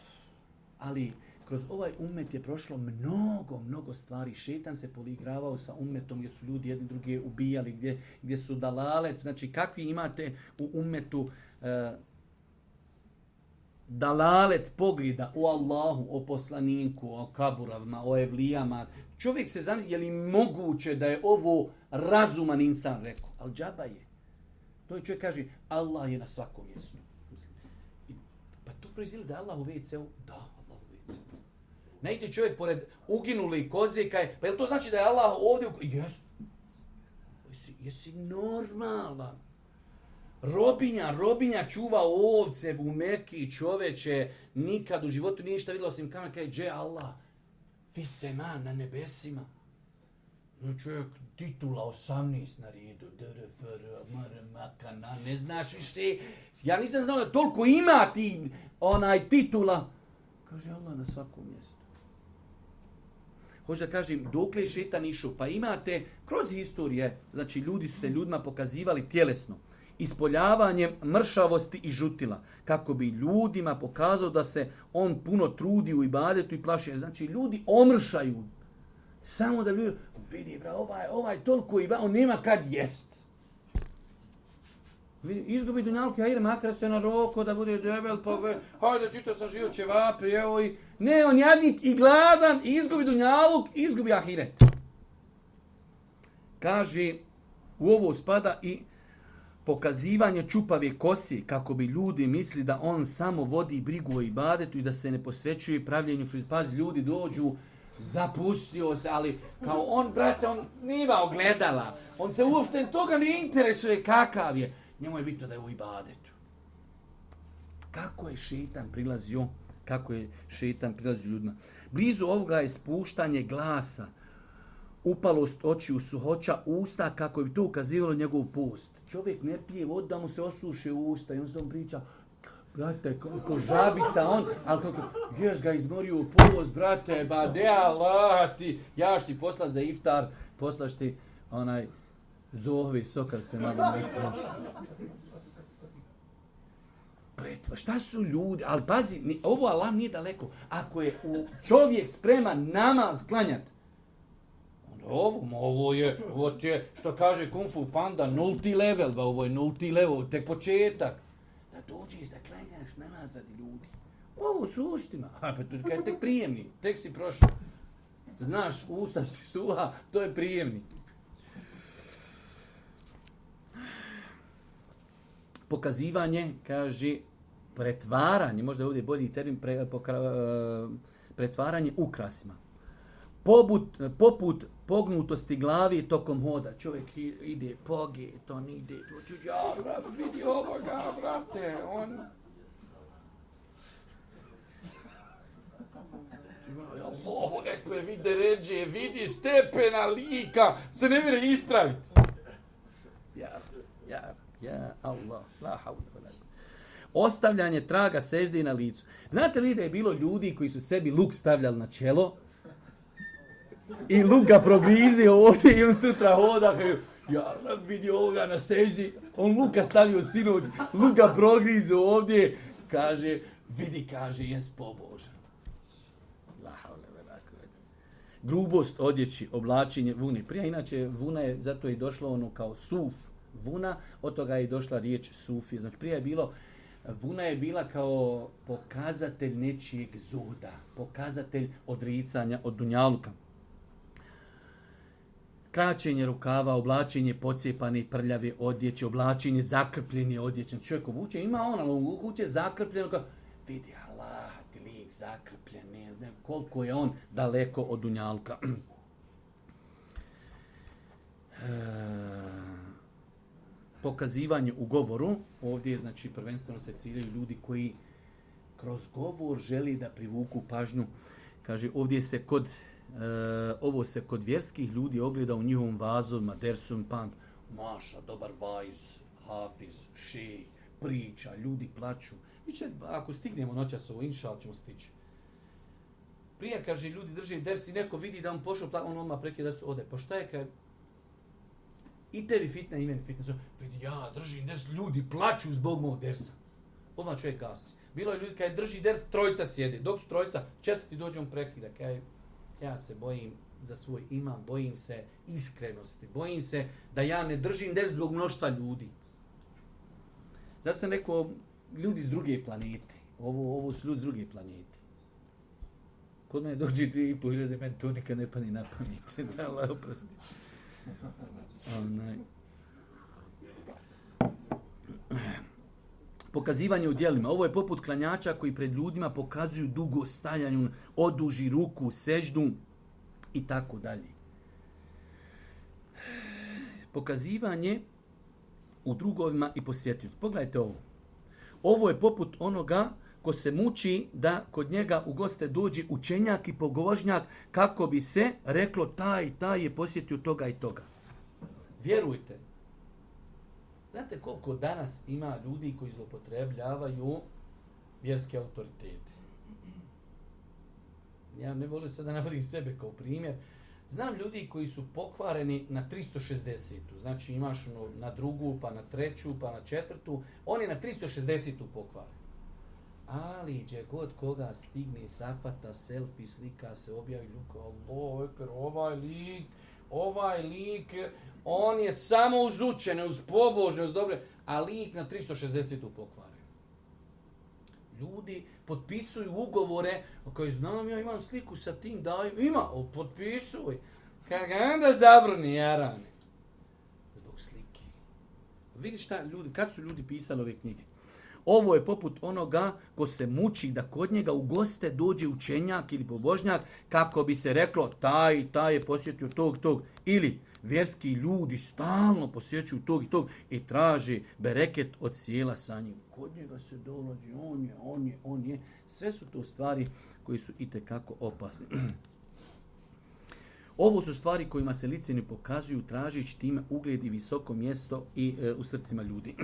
Ali kroz ovaj ummet je prošlo mnogo, mnogo stvari. Šetan se poligravao sa ummetom gdje su ljudi jedni druge ubijali, gdje, gdje su dalalet. Znači, kakvi imate u ummetu e, dalalet pogleda o Allahu, o poslaniku, o kaburavima, o evlijama. Čovjek se zamisli, je li moguće da je ovo razuman insan rekao? Al džaba je. To je čovjek kaže, Allah je na svakom mjestu. Pa to proizvili da je Allah u ve ce u? Da, Allah u ve ce u. Ne ide čovjek pored uginuli koze, kaj, pa je li to znači da je Allah ovdje? Jes. Jesi, jesi normalan. Robinja, robinja čuva ovce u Meki, čoveče, nikad u životu nije ništa vidjela osim kamer, kaj dže Allah, fisema na nebesima. No čovjek, titula osamnaest na redu, dr, fr, mr, makana, ne znaš više. Ja nisam znao da toliko ima ti onaj titula. Kaže Allah na svakom mjestu. Hoće da kažem, dokle je šeitan išao? Pa imate kroz historije, znači ljudi su se ljudima pokazivali tjelesno, ispoljavanjem mršavosti i žutila, kako bi ljudima pokazao da se on puno trudi u ibadetu i plaši. Znači ljudi omršaju, samo da ljudi, vidi bra, ovaj, ovaj toliko iba, on nema kad jest. Vidi, izgubi dunjalku, hajde makar se na roko da bude debel, pa ve, hajde čito sam život ćevape, evo i... Ne, on jadnik i gladan, i izgubi dunjaluk, i izgubi ahiret. Kaže, u ovo spada i pokazivanje čupave kosi, kako bi ljudi misli da on samo vodi brigu o ibadetu i da se ne posvećuje pravljenju frizura. Pazi, ljudi dođu, zapustio se, ali kao on, brate, on nima ogledala. On se uopšte toga ne interesuje kakav je. Njemu je bitno da je u ibadetu. Kako je šeitan prilazio, kako je šeitan prilazio ljudima. Blizu ovoga je spuštanje glasa, upalost očiju, suhoća usta, kako bi to ukazivalo njegov post. Čovjek ne pije vodu da mu se osuše usta i on se tom priča, brate, ko žabica on, ali kako, jes ga izmorio post, brate, ba de Allah ti, ja ću ti poslat za iftar, poslaš ti onaj zohvi soka se malo ne proši. Pretva, šta su ljudi, ali pazi, ni, ovo Allah nije daleko, ako je u čovjek spreman namaz klanjati, Ovo, ovo je, ovo je, što kaže Kung Fu Panda, nulti level, ba ovo je nulti level, tek početak. Da dođeš, da klanjaš namaz radi ljudi. Ovo su ustima, a pa to je tek prijemni, tek si prošao. Znaš, usta si suha, to je prijemni. Pokazivanje, kaže, pretvaranje, možda je ovdje bolji termin, pre, pokra, pretvaranje ukrasima. Poput, poput pognutosti glavi tokom hoda. Čovjek ide poge, to ne ide. Ja, brat, vidi ovoga, brate, on... Allahu ekber, vidi ređe, vidi stepena lika, se ne mire ispraviti. Ja, ja, ja, Allah, la havla. Ostavljanje traga sežde na licu. Znate li da je bilo ljudi koji su sebi luk stavljali na čelo, i luk ga progrizio ovdje i on sutra hoda, ja vidi ovoga na seždi, on luka stavio sinoć, luk ga progrizio ovdje, kaže, vidi, kaže, jes pobožan. Grubost odjeći, oblačenje vune. Prije inače vuna je, zato je došlo ono kao suf vuna, od toga je došla riječ sufi. Znači prije je bilo, vuna je bila kao pokazatelj nečijeg zuda, pokazatelj odricanja od dunjaluka. Kraćenje rukava, oblačenje pocijepane i prljave odjeće, oblačenje zakrpljene odjeće. Čovjek obuče, ima ona u kuće zakrpljeno, kao, vidi Allah, ti lik zakrpljen, ne znam koliko je on daleko od dunjalka. E, pokazivanje u govoru, ovdje je, znači, prvenstveno se ciljaju ljudi koji kroz govor želi da privuku pažnju. Kaže, ovdje se kod Uh, ovo se kod vjerskih ljudi ogleda u njihovom vazovima, dersun, pand, maša, dobar vajz, hafiz, šej, priča, ljudi plaću. Mi će, ako stignemo noćas ovo, inšal ćemo stići. Prije, kaže, ljudi drži ders i neko vidi da on pošao, on odmah prekida da su ode. Pa šta je, kaj, i tebi fitna, i meni fitna. Vidi, ja držim ders, ljudi plaću zbog mog dersa. Odmah čovjek gasi. Bilo je ljudi, kaj drži ders, trojica sjedi. Dok su trojica, četvrti dođe, on prekida, kaj, ja se bojim za svoj imam, bojim se iskrenosti, bojim se da ja ne držim ders zbog mnoštva ljudi. Zato sam rekao, ljudi s druge planete, ovo, ovo su ljudi s druge planete. Kod mene dođe dvije i pol hiljade, meni to nikad ne pani na pamet. Da, Allah oprosti. Onaj. Pokazivanje u djelima. Ovo je poput klanjača koji pred ljudima pokazuju dugo stajanju, oduži ruku, seždu i tako dalje. Pokazivanje u drugovima i posjetiocu. Pogledajte ovo. Ovo je poput onoga ko se muči da kod njega u goste dođe učenjak i pogožnjak kako bi se reklo taj, taj je posjetio toga i toga. Vjerujte. Znate koliko danas ima ljudi koji zloupotrebljavaju vjerske autoritete? Ja ne volim sad da navodim sebe kao primjer. Znam ljudi koji su pokvareni na tristo šezdesetu. Znači imaš ono na drugu, pa na treću, pa na četvrtu. On je na tristo šezdesetu pokvaren. Ali gdje god koga stigne safata, selfie, slika se, objavi ljuka, Allah, ekber, ovaj lik, ovaj lik, on je samo uz učene, uz pobožne, uz dobre, a lik na tristo šezdesetu pokvaren. Ljudi potpisuju ugovore, koji znam ja imam sliku sa tim, daju, ima, o, potpisuj. Kada da zavrni jarane. Zbog slike. Vidiš šta ljudi, kad su ljudi pisali ove knjige? Ovo je poput onoga ko se muči da kod njega u goste dođe učenjak ili pobožnjak kako bi se reklo taj i taj je posjetio tog tog. Ili vjerski ljudi stalno posjećuju tog i tog i traže bereket od sjela sa njim. Kod njega se dolazi, on je, on je, on je. Sve su to stvari koji su itekako opasne. Ovo su stvari kojima se liceni pokazuju tražeći time ugled i visoko mjesto i e, u srcima ljudi.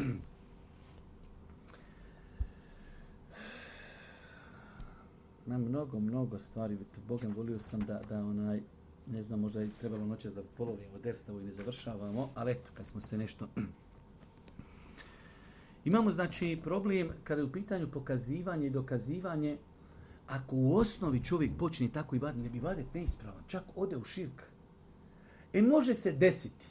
Ima mnogo, mnogo stvari. Bogem, volio sam da, da onaj, ne znam, možda je trebalo noćas da polovimo ders, da ovo i ne završavamo, ali eto, kad smo se nešto... Imamo, znači, problem kada je u pitanju pokazivanje i dokazivanje, ako u osnovi čovjek počne tako ibadet, ne bi ibadet neispravan, čak ode u širk. E može se desiti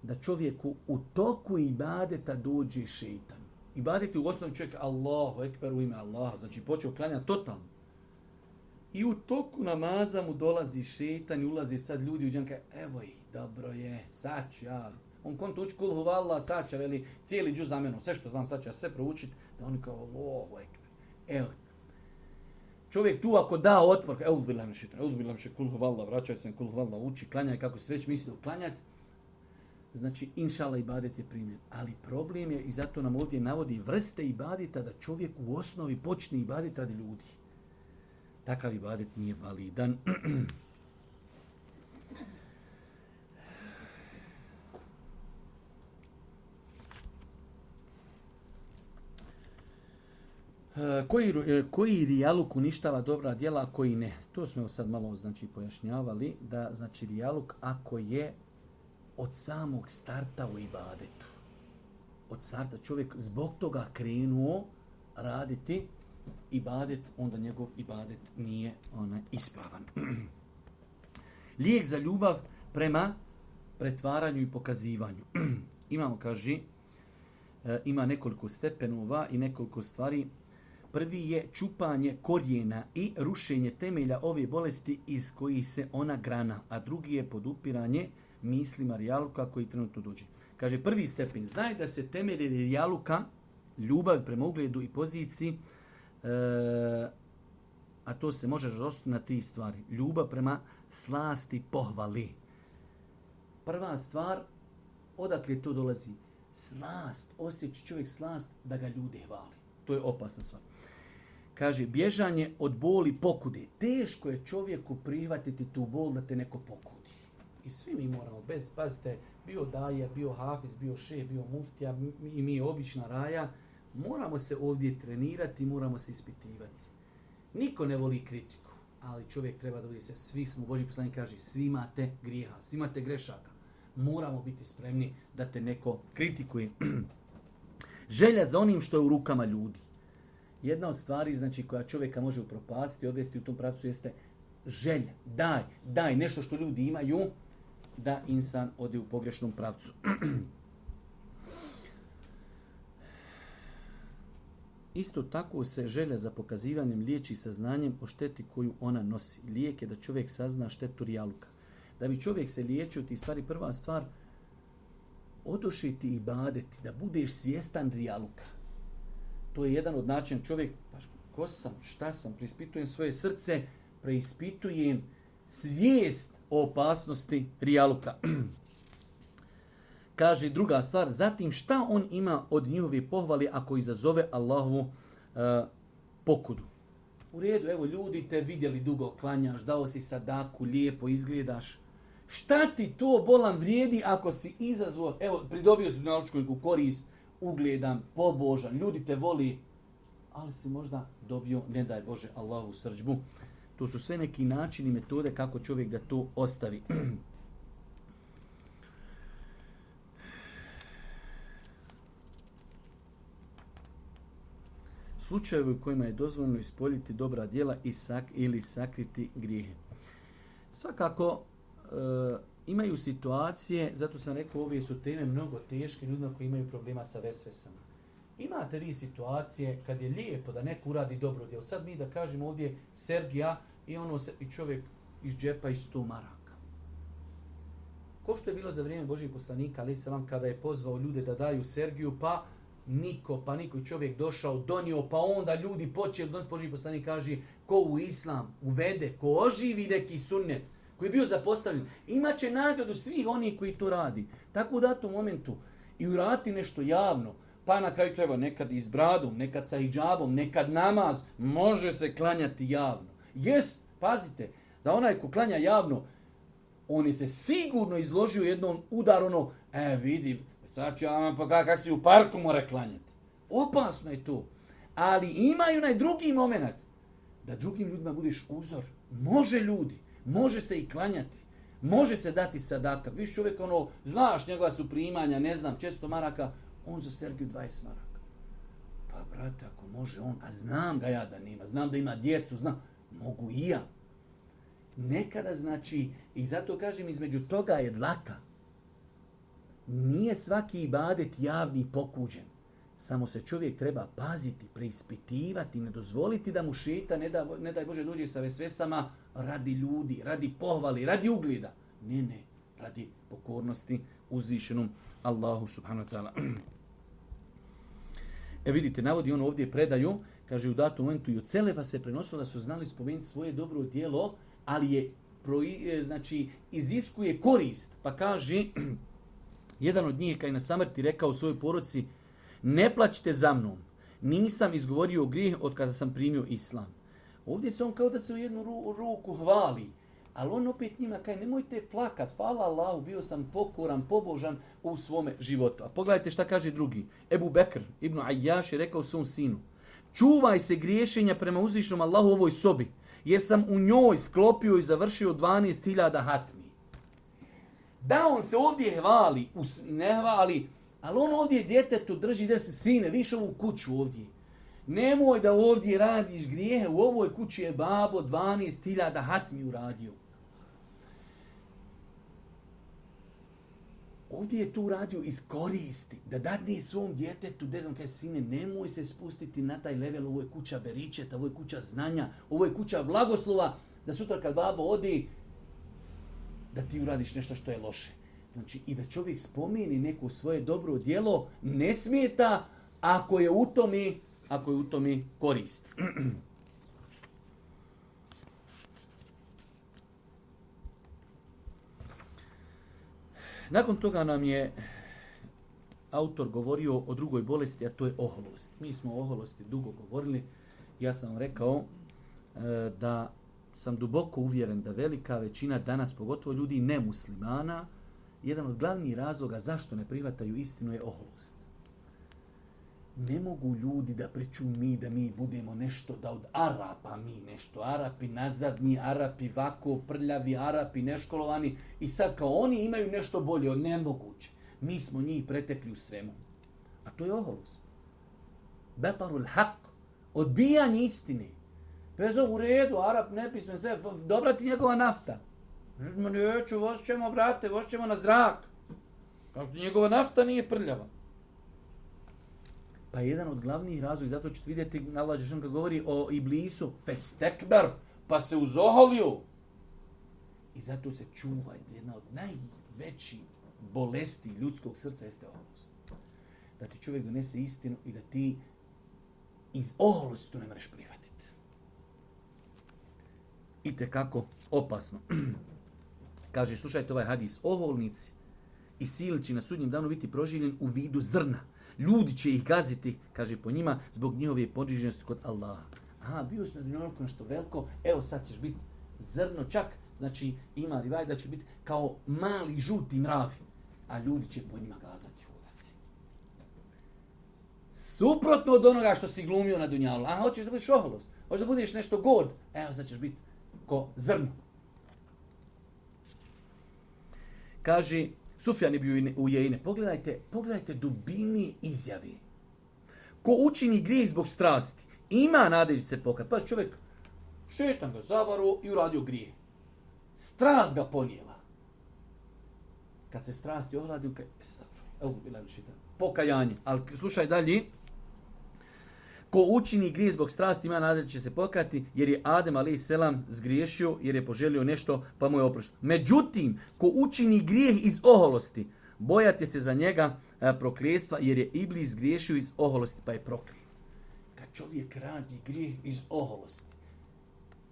da čovjeku u toku ibadeta dođe šeitan. Ibadet je u osnovi čovjek Allahu ekber u ime Allaha, znači počeo klanjati totalno. I u toku namaza mu dolazi šeitan i ulazi sad ljudi u džanka, evo ih, dobro je, sad ću ja. On konto uči kul huvallah, sad će, veli, cijeli džuz za menom, sve što znam, sad ću ja sve proučiti, da oni kao Allahu ekber. Evo. Čovjek tu ako da otpor, evo uzbilam mi šeitan, evo uzbilam mi kul huvallah, vraćaj se kul huvallah, uči, klanjaj kako se već misli da uklanjati. Znači, inšala ibadet je primjer. Ali problem je, i zato nam ovdje navodi vrste ibadeta, da čovjek u osnovi počne ibadet radi ljudi. Takav ibadet nije validan. Koji, koji rijaluk uništava dobra djela, a koji ne? To smo sad malo znači, pojašnjavali, da znači rijaluk ako je od samog starta u ibadetu. Od starta čovjek zbog toga krenuo raditi ibadet, onda njegov ibadet nije onaj ispravan. Lijek za ljubav prema pretvaranju i pokazivanju. Imamo, kaže, ima nekoliko stepenova i nekoliko stvari. Prvi je čupanje korijena i rušenje temelja ove bolesti iz kojih se ona grana, a drugi je podupiranje mislima rijaluka koji trenutno dođe. Kaže, prvi stepen, znaj da se temelje rijaluka, ljubav prema ugledu i poziciji, e, a to se može razložiti na tri stvari. Ljubav prema slasti pohvali. Prva stvar, odakle to dolazi? Slast, osjeća čovjek slast da ga ljude hvali. To je opasna stvar. Kaže, bježanje od boli pokude. Teško je čovjeku prihvatiti tu bol da te neko pokudi. I svi mi moramo, bez, pazite, bio daja, bio hafiz, bio šeh, bio muftija i mi obična raja, moramo se ovdje trenirati, moramo se ispitivati. Niko ne voli kritiku, ali čovjek treba da bude se, svi smo, Božji poslanik kaže, svi imate grijeha, svi imate grešaka. Moramo biti spremni da te neko kritikuje. Želja za onim što je u rukama ljudi. Jedna od stvari, znači, koja čovjeka može upropasti, odvesti u tom pravcu, jeste želja. Daj, daj nešto što ljudi imaju, da insan ode u pogrešnom pravcu. Isto tako se želja za pokazivanjem liječi saznanjem o šteti koju ona nosi. Lijek je da čovjek sazna štetu rijaluka. Da bi čovjek se liječio ti stvari, prva stvar, odošiti i badeti, da budeš svjestan rijaluka. To je jedan od načina. Čovjek, pa ko sam, šta sam, preispitujem svoje srce, preispitujem svijest o opasnosti rijaluka. Kaže druga stvar, zatim šta on ima od njihove pohvali ako izazove Allahovu uh, pokudu. U redu, evo ljudi te vidjeli dugo klanjaš, dao si sadaku, lijepo izgledaš. Šta ti to bolan vrijedi ako si izazvao, evo pridobio si dunjalučku neku korist, ugledan, pobožan, ljudi te voli, ali si možda dobio, ne daj Bože, Allahu srdžbu. To su sve neki načini, metode kako čovjek da to ostavi. Slučajevi u kojima je dozvoljeno ispoljiti dobra djela i sak, ili sakriti grijehe. Svakako e, imaju situacije, zato sam rekao ove su teme mnogo teške ljudima koji imaju problema sa vesvesama. Imate li situacije kad je lijepo da neko uradi dobro djelo? Sad mi da kažemo ovdje Sergija i ono se, i čovjek iz džepa i sto maraka. Ko što je bilo za vrijeme Božih poslanika, ali sam kada je pozvao ljude da daju Sergiju, pa niko, pa niko čovjek došao, donio, pa onda ljudi počeli, odnos Božji poslanik kaže, ko u islam uvede, ko oživi neki sunnet, koji je bio zapostavljen, imaće nagradu svih onih koji to radi. Tako u datom momentu i urati nešto javno, pa na kraju krajeva nekad i s bradom, nekad sa hidžabom, nekad namaz, može se klanjati javno. Jest, pazite, da onaj ko klanja javno, on je se sigurno izložio jednom udaru, ono, e vidim, sad ću vam pa kak si u parku mora klanjati. Opasno je to. Ali imaju onaj drugi moment, da drugim ljudima budeš uzor. Može ljudi, može se i klanjati, može se dati sadaka. Viš čovjek, ono, znaš njegova su primanja, ne znam, često maraka, on za Sergiju dvadeset maraka. Pa, brate, ako može on, a znam ga ja da nima, znam da ima djecu, znam, mogu i ja. Nekada znači, i zato kažem, između toga je dlaka. Nije svaki ibadet javni pokuđen. Samo se čovjek treba paziti, preispitivati, ne dozvoliti da mu šeta, ne, da, ne daj Bože dođe sa vesvesama radi ljudi, radi pohvali, radi ugleda. Ne, ne, radi pokornosti uzvišenom Allahu subhanahu wa ta'ala. E vidite, navodi on ovdje predaju, kaže u datom momentu i od Selefa se prenosilo da su znali spomenuti svoje dobro djelo, ali je, znači, iziskuje korist. Pa kaže, jedan od njih kad je na samrti rekao u svojoj porodci, ne plaćite za mnom, nisam izgovorio grijeh od kada sam primio islam. Ovdje se on kao da se u jednu ru, ruku hvali, ali on opet njima kaže, nemojte plakat, hvala Allahu, bio sam pokoran, pobožan u svome životu. A pogledajte šta kaže drugi. Ebu Bekr ibn Ayyaš je rekao svom sinu, čuvaj se griješenja prema uzvišnom Allahu u ovoj sobi, jer sam u njoj sklopio i završio dvanaest hiljada hatmi. Da, on se ovdje hvali, ne hvali, ali on ovdje djetetu drži da se sine, viš ovu kuću ovdje. Nemoj da ovdje radiš grijehe, u ovoj kući je babo dvanaest hiljada hatmi uradio. Ovdje je tu uradio iz koristi, da dadne svom djetetu, da znam kaj sine, nemoj se spustiti na taj level, ovo je kuća beričeta, ovo je kuća znanja, ovo je kuća blagoslova, da sutra kad babo odi, da ti uradiš nešto što je loše. Znači, i da čovjek spomeni neko svoje dobro djelo, ne smeta ako je u tome, ako je u tome korist. Nakon toga nam je autor govorio o drugoj bolesti, a to je oholost. Mi smo o oholosti dugo govorili. Ja sam vam rekao e, da sam duboko uvjeren da velika većina danas, pogotovo ljudi nemuslimana, jedan od glavnih razloga zašto ne prihvataju istinu je oholost. Ne mogu ljudi da priču mi, da mi budemo nešto, da od Arapa mi nešto, Arapi nazadni, Arapi vako, prljavi, Arapi neškolovani i sad kao oni imaju nešto bolje od nemoguće. Mi smo njih pretekli u svemu. A to je oholost. Batarul haq, odbijanje istine. Pezo u redu, Arap nepismen, sve, dobra ti njegova nafta. Neću, voz ćemo, brate, voz ćemo na zrak. Kako ti njegova nafta nije prljava. Pa jedan od glavnih razloga, zato ćete vidjeti, Allah Žešan kad govori o Iblisu, festekbar, pa se uzoholio. I zato se čuvajte, jedna od najvećih bolesti ljudskog srca jeste oholost. Da ti čovjek donese istinu i da ti iz oholosti to ne možeš prihvatiti. I tekako opasno. Kaže, slušajte ovaj hadis, oholnici i silni će na sudnjem danu biti proživljen u vidu zrna. Ljudi će ih gaziti, kaže po njima, zbog njihove poniženosti kod Allaha. Aha, bio si na dunjaluku nešto veliko, evo sad ćeš biti zrno čak, znači ima rivaj da će biti kao mali žuti mravi, a ljudi će po njima gazati, hodati. Suprotno od onoga što si glumio na dunjalu. A hoćeš da budeš oholost, hoćeš da budeš nešto gord, evo sad ćeš biti ko zrno. Kaže Sufjan ibn Ujejne, pogledajte, pogledajte dubini izjavi. Ko učini grijeh zbog strasti, ima nadeđi se pokajati. Pa čovjek, šetan ga zavaru i uradio grijeh. Strast ga ponijela. Kad se strasti ohladi, evo, pokajanje. Ali slušaj dalje. Ko učini grijeh zbog strasti, ima nadeđi će se pokajati, jer je Adem alejhi selam zgriješio, jer je poželio nešto, pa mu je oprošteno. Međutim, ko učini grijeh iz oholosti, bojate se za njega a, prokljetstva, jer je Iblis zgriješio iz oholosti, pa je proklijet. Kad čovjek radi grijeh iz oholosti,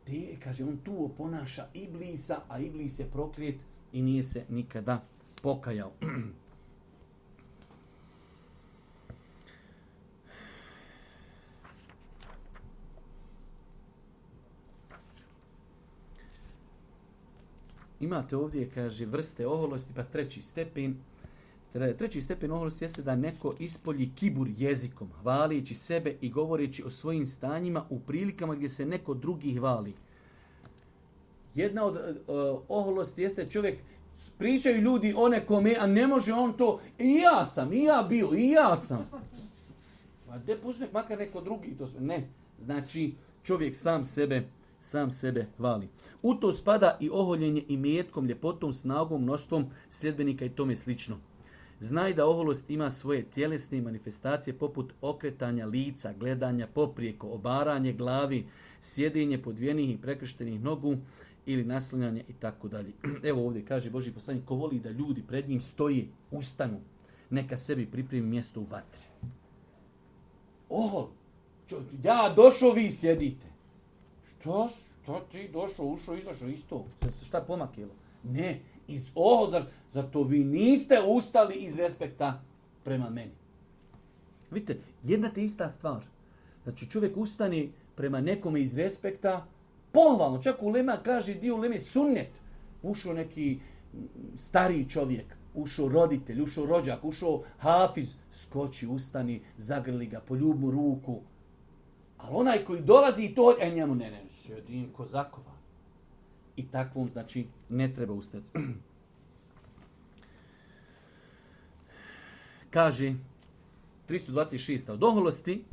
te, kaže, on tu oponaša Iblisa, a Iblis je proklijet i nije se nikada pokajao. Imate ovdje, kaže, vrste oholosti, pa treći stepen. Treći stepen oholosti jeste da neko ispolji kibur jezikom, hvalići sebe i govoreći o svojim stanjima u prilikama gdje se neko drugi hvali. Jedna od uh, oholosti jeste čovjek, pričaju ljudi o nekome, a ne može on to, i ja sam, i ja bio, i ja sam. A gdje pusti makar neko drugi to sve? Ne. Znači, čovjek sam sebe sam sebe hvali. U to spada i oholjenje imetkom, ljepotom, snagom, mnoštvom sljedbenika i tome slično. Znaj da oholost ima svoje tjelesne manifestacije poput okretanja lica, gledanja poprijeko, obaranje glavi, sjedenje podvijenih i prekrštenih nogu ili naslonjanje i tako dalje. Evo ovdje kaže Božji poslanik, ko voli da ljudi pred njim stoje, ustanu, neka sebi pripremi mjesto u vatri. Ohol, čo, ja došao, vi sjedite. Što, što ti došao, ušao, izašao isto? Se šta pomakilo? Ne, iz oho, zar, zar to vi niste ustali iz respekta prema meni? Vidite, jedna te ista stvar. Znači čovjek ustane prema nekome iz respekta, pohvalno, čak ulema kaže, dio uleme sunnet. Ušao neki stariji čovjek, ušao roditelj, ušao rođak, ušao hafiz, skoči, ustani, zagrli ga, poljub mu ruku. Ali onaj koji dolazi i to, e njemu ne, ne, sjedim ko zakova. I takvom, znači, ne treba ustati. Kaže, tristo dvadeset šest. Od oholosti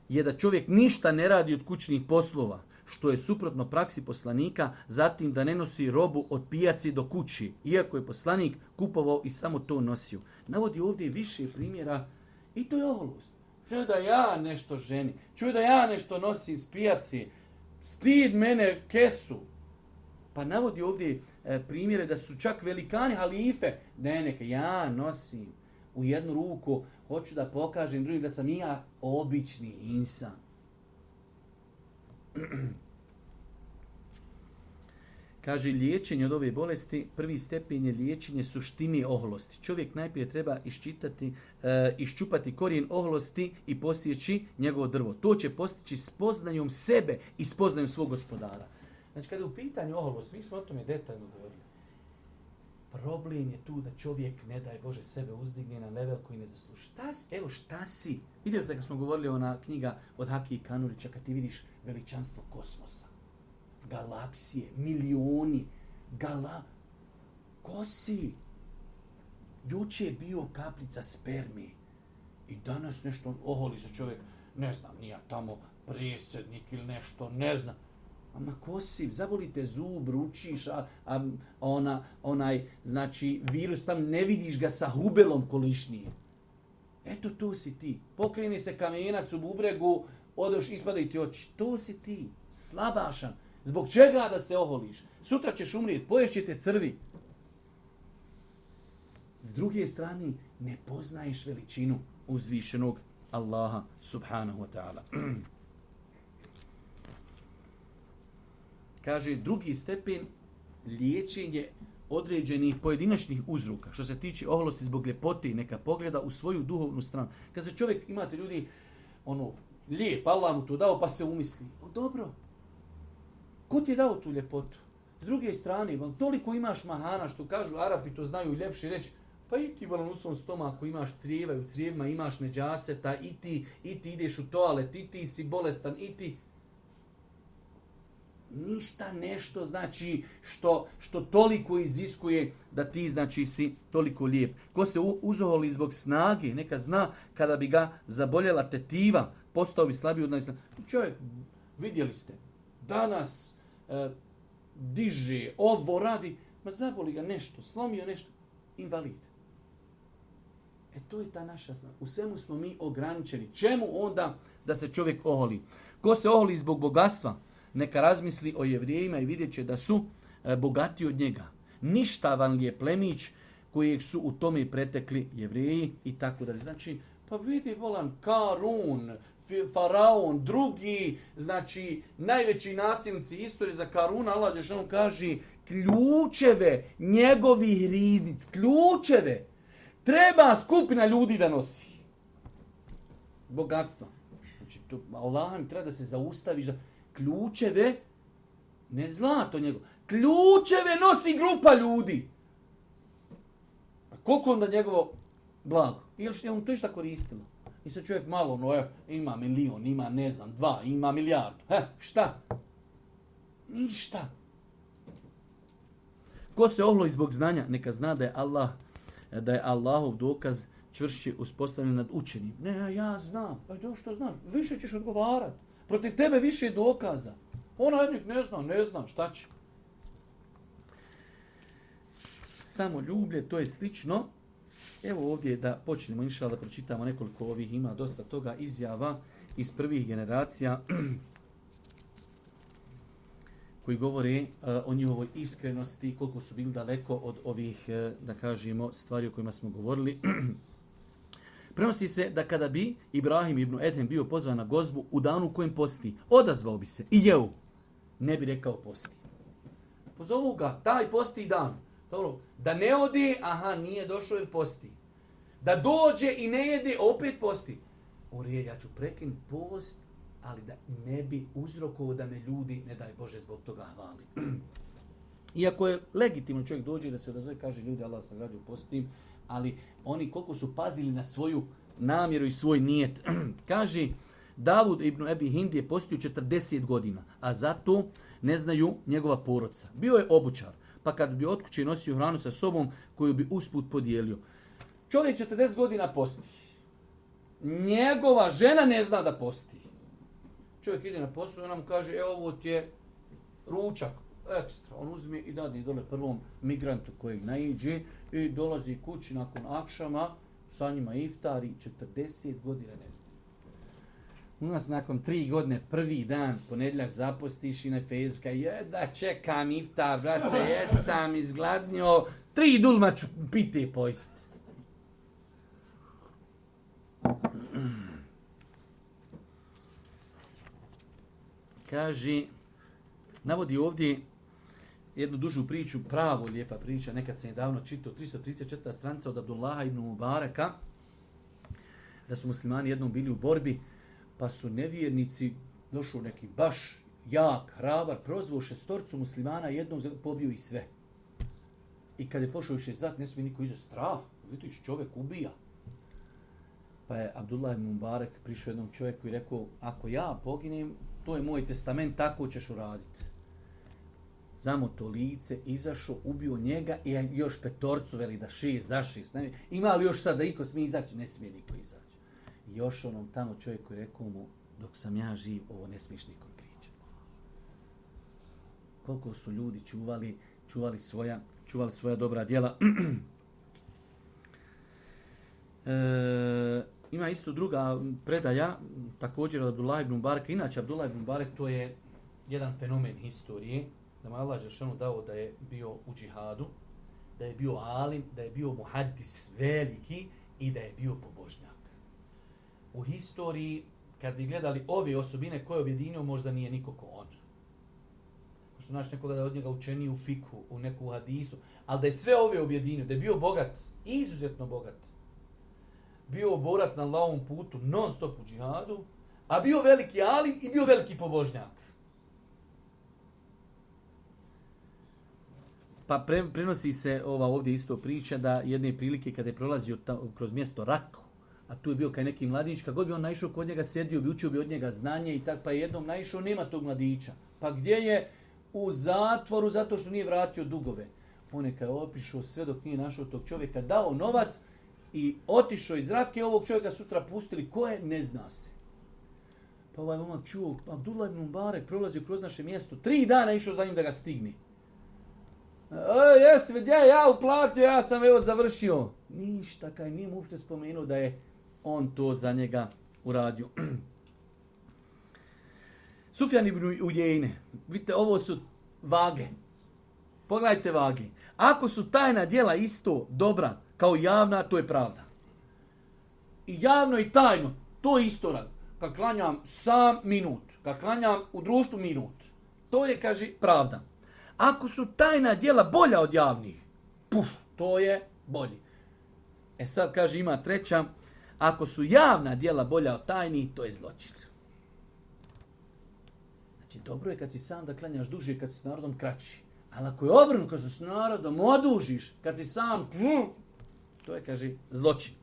je da čovjek ništa ne radi od kućnih poslova, što je suprotno praksi poslanika, zatim da ne nosi robu od pijaci do kući, iako je poslanik kupovao i samo to nosio. Navodi ovdje više primjera i to je oholost. Čuj da ja nešto ženi, čuj da ja nešto nosim iz pijaci, stid mene kesu. Pa navodi ovdje e, primjere da su čak velikani halife, ne neka ja nosim u jednu ruku, hoću da pokažem drugim da sam i ja obični insan. Kaže, liječenje od ove bolesti, prvi stepen je liječenje suštine oholosti. Čovjek najprije treba iščitati, e, iščupati korijen oholosti i posjeći njegovo drvo. To će postići spoznajom sebe i spoznajom svog gospodara. Znači, kada je u pitanju oholost, mi smo o tome detaljno govorili. Problem je tu da čovjek, ne daj Bože, sebe uzdigne na level koji ne zasluži. Šta si? Evo šta si? Vidjeli ste kad smo govorili ona knjiga od Hakije Kanurića, kad ti vidiš veličanstvo kosmosa, galaksije, milioni, gala... Ko si? Juče je bio kaplica spermi i danas nešto oholi se čovjek, ne znam, nija tamo presjednik ili nešto, ne znam. Ama ko si? Zaboli te zub, ručiš, a, a ona, onaj, znači, virus tam, ne vidiš ga sa hubelom kolišnije. Eto, to si ti. Pokreni se kamenac u bubregu, odoš, ispadaju ti oči. To si ti, slabašan. Zbog čega da se oholiš? Sutra ćeš umrijeti, poješće te crvi. S druge strane, ne poznaješ veličinu uzvišenog Allaha subhanahu wa ta'ala. Kaže, drugi stepen liječenje određenih pojedinačnih uzroka. Što se tiče oholosti zbog ljepote, neka pogleda u svoju duhovnu stranu. Kad se čovjek, imate ljudi, ono, lijep, Allah mu to dao, pa se umisli. O, dobro. Ko ti je dao tu ljepotu? S druge strane, toliko imaš mahana, što kažu Arapi, to znaju ljepše reći, pa i ti u svom stomaku imaš crijeva i u crijevima imaš neđaseta, i ti, i ti ideš u toalet, i ti si bolestan, i ti... Ništa nešto znači što, što toliko iziskuje da ti znači si toliko lijep. Ko se uzoholi zbog snage, neka zna kada bi ga zaboljela tetiva, postao bi slabiji od najslabijih. Čovjek, vidjeli ste, danas e, diže, ovo radi, ma zaboli ga nešto, slomio nešto, invalid. E to je ta naša snaga. U svemu smo mi ograničeni. Čemu onda da se čovjek oholi? Ko se oholi zbog bogatstva, neka razmisli o Jevrijima i vidjet će da su e, bogati od njega. Ništavan li je plemić kojeg su u tome pretekli Jevriji i tako dalje. Znači, pa vidi volan Karun, Faraon, drugi, znači najveći nasilnici istorije za Karuna, Allah dželle kaže ključeve njegovih riznic, ključeve treba skupina ljudi da nosi. Bogatstvo. Znači, to, Allah mi treba da se zaustavi za ključeve, ne zlato njegov, ključeve nosi grupa ljudi. Pa koliko onda njegovo blago? Ili što je on to išta koristilo? I sad čovjek malo, no je, ima milion, ima ne znam, dva, ima milijardu. He, šta? Ništa. Ko se ohloji zbog znanja, neka zna da je Allah, da je Allahov dokaz čvršće uspostavljen nad učenim. Ne, ja znam. Pa to što znaš, više ćeš odgovarati. Protiv tebe više je dokaza. Ona jednik ne zna, ne zna, šta će? Samo ljublje, to je slično. Evo ovdje da počnemo, inšallah, da pročitamo nekoliko ovih, ima dosta toga izjava iz prvih generacija koji govore uh, o njihovoj iskrenosti, koliko su bili daleko od ovih, uh, da kažemo, stvari o kojima smo govorili. Prenosi se da kada bi Ibrahim ibn Edhem bio pozvan na gozbu u danu u kojem posti, odazvao bi se i jeo, ne bi rekao posti. Pozovu ga, taj posti dan. Dobro, da ne ode, aha, nije došao jer posti. Da dođe i ne jede, opet posti. Orije, ja ću prekinuti post, ali da ne bi uzrokovao da me ljudi, ne daj Bože, zbog toga hvali. Iako je legitimno čovjek dođe da se odazove, kaže ljudi, Allah se nagradio postim, ali oni koliko su pazili na svoju namjeru i svoj nijet. Kaže, Davud ibn Ebi Hind je postio četrdeset godina, a zato ne znaju njegova porodca. Bio je obućar, pa kad bi od kuće nosio hranu sa sobom koju bi usput podijelio. Čovjek četrdeset godina posti. Njegova žena ne zna da posti. Čovjek ide na posao i ona mu kaže, evo ovo ti je ručak, ekstra. On uzme i dadne dole prvom migrantu kojeg naiđe i dolazi kući nakon akšama, sa njima iftari, četrdeset godina ne zna. U nas nakon tri godine, prvi dan, ponedjeljak zapostiš i na Facebooka, je da čekam iftar, brate, jesam izgladnio, tri dulma ću piti i pojesti. Kaže, navodi ovdje jednu dužu priču, pravo lijepa priča, nekad sam je davno čitao, tristo trideset četvrta stranica od Abdullaha ibn Mubaraka, da su muslimani jednom bili u borbi, pa su nevjernici, došao neki baš jak, hrabar, prozvao šestorcu muslimana, jednog pobio i sve. I kad je pošao više zvat, ne smije niko izaći, strah, vidiš, čovjek ubija. Pa je Abdullah ibn Mubarak prišao jednom čovjeku i rekao, ako ja poginem, to je moj testament, tako ćeš uraditi. Zamo to lice, izašao, ubio njega i još petorcu veli da šest, za šest. Ima li još sad da iko smije izaći? Ne smije niko izaći. I još onom tamo čovjeku je rekao mu, dok sam ja živ, ovo ne smiješ nikom pričati. Koliko su ljudi čuvali, čuvali svoja, čuvali svoja dobra djela. e, ima isto druga predaja, također od Abdullah ibn Mubaraka. Inače, Abdullah ibn Mubarak to je jedan fenomen historije, da mu Allah dželle dao da je bio u džihadu, da je bio alim, da je bio muhaddis veliki i da je bio pobožnjak. U historiji, kad bi gledali ove osobine koje objedinio, možda nije niko ko on. Možda naš nekoga da od njega učeni u fiku, u neku hadisu, ali da je sve ove objedinio, da je bio bogat, izuzetno bogat, bio borac na Allahovom putu, non stop u džihadu, a bio veliki alim i bio veliki pobožnjak. Pa pre, prenosi se ova ovdje isto priča da jedne prilike kada je prolazio ta, kroz mjesto Rako, a tu je bio kaj neki mladić, kad god bi on naišao kod njega, sedio bi, učio bi od njega znanje i tak, pa je jednom naišao, nema tog mladića. Pa gdje je? u zatvoru zato što nije vratio dugove. On je kada opišao sve dok nije našao tog čovjeka, dao novac i otišao iz Rake, ovog čovjeka sutra pustili. Ko je? Ne zna se. Pa ovaj momak čuo, Abdullah ibn Mubarek prolazio kroz naše mjesto, tri dana išao za njim da ga stigne. E, jesi, gdje ja uplatio, ja sam evo završio. Ništa, kaj nije mu uopšte spomenuo da je on to za njega uradio. Sufjan ibn Ujejne, vidite, ovo su vage. Pogledajte vage. Ako su tajna djela isto dobra kao javna, to je pravda. I javno i tajno, to je isto rad. Kad klanjam sam minut, kad klanjam u društvu minut, to je, kaže, pravda. Ako su tajna djela bolja od javnih, puf, to je bolji. E sad, kaže, ima treća, ako su javna djela bolja od tajnih, to je zločin. Znači, dobro je kad si sam da klanjaš duže, kad si s narodom kraći. Ali ako je obrnuto, kad si s narodom odužiš, kad si sam, to je, kaže, zločin.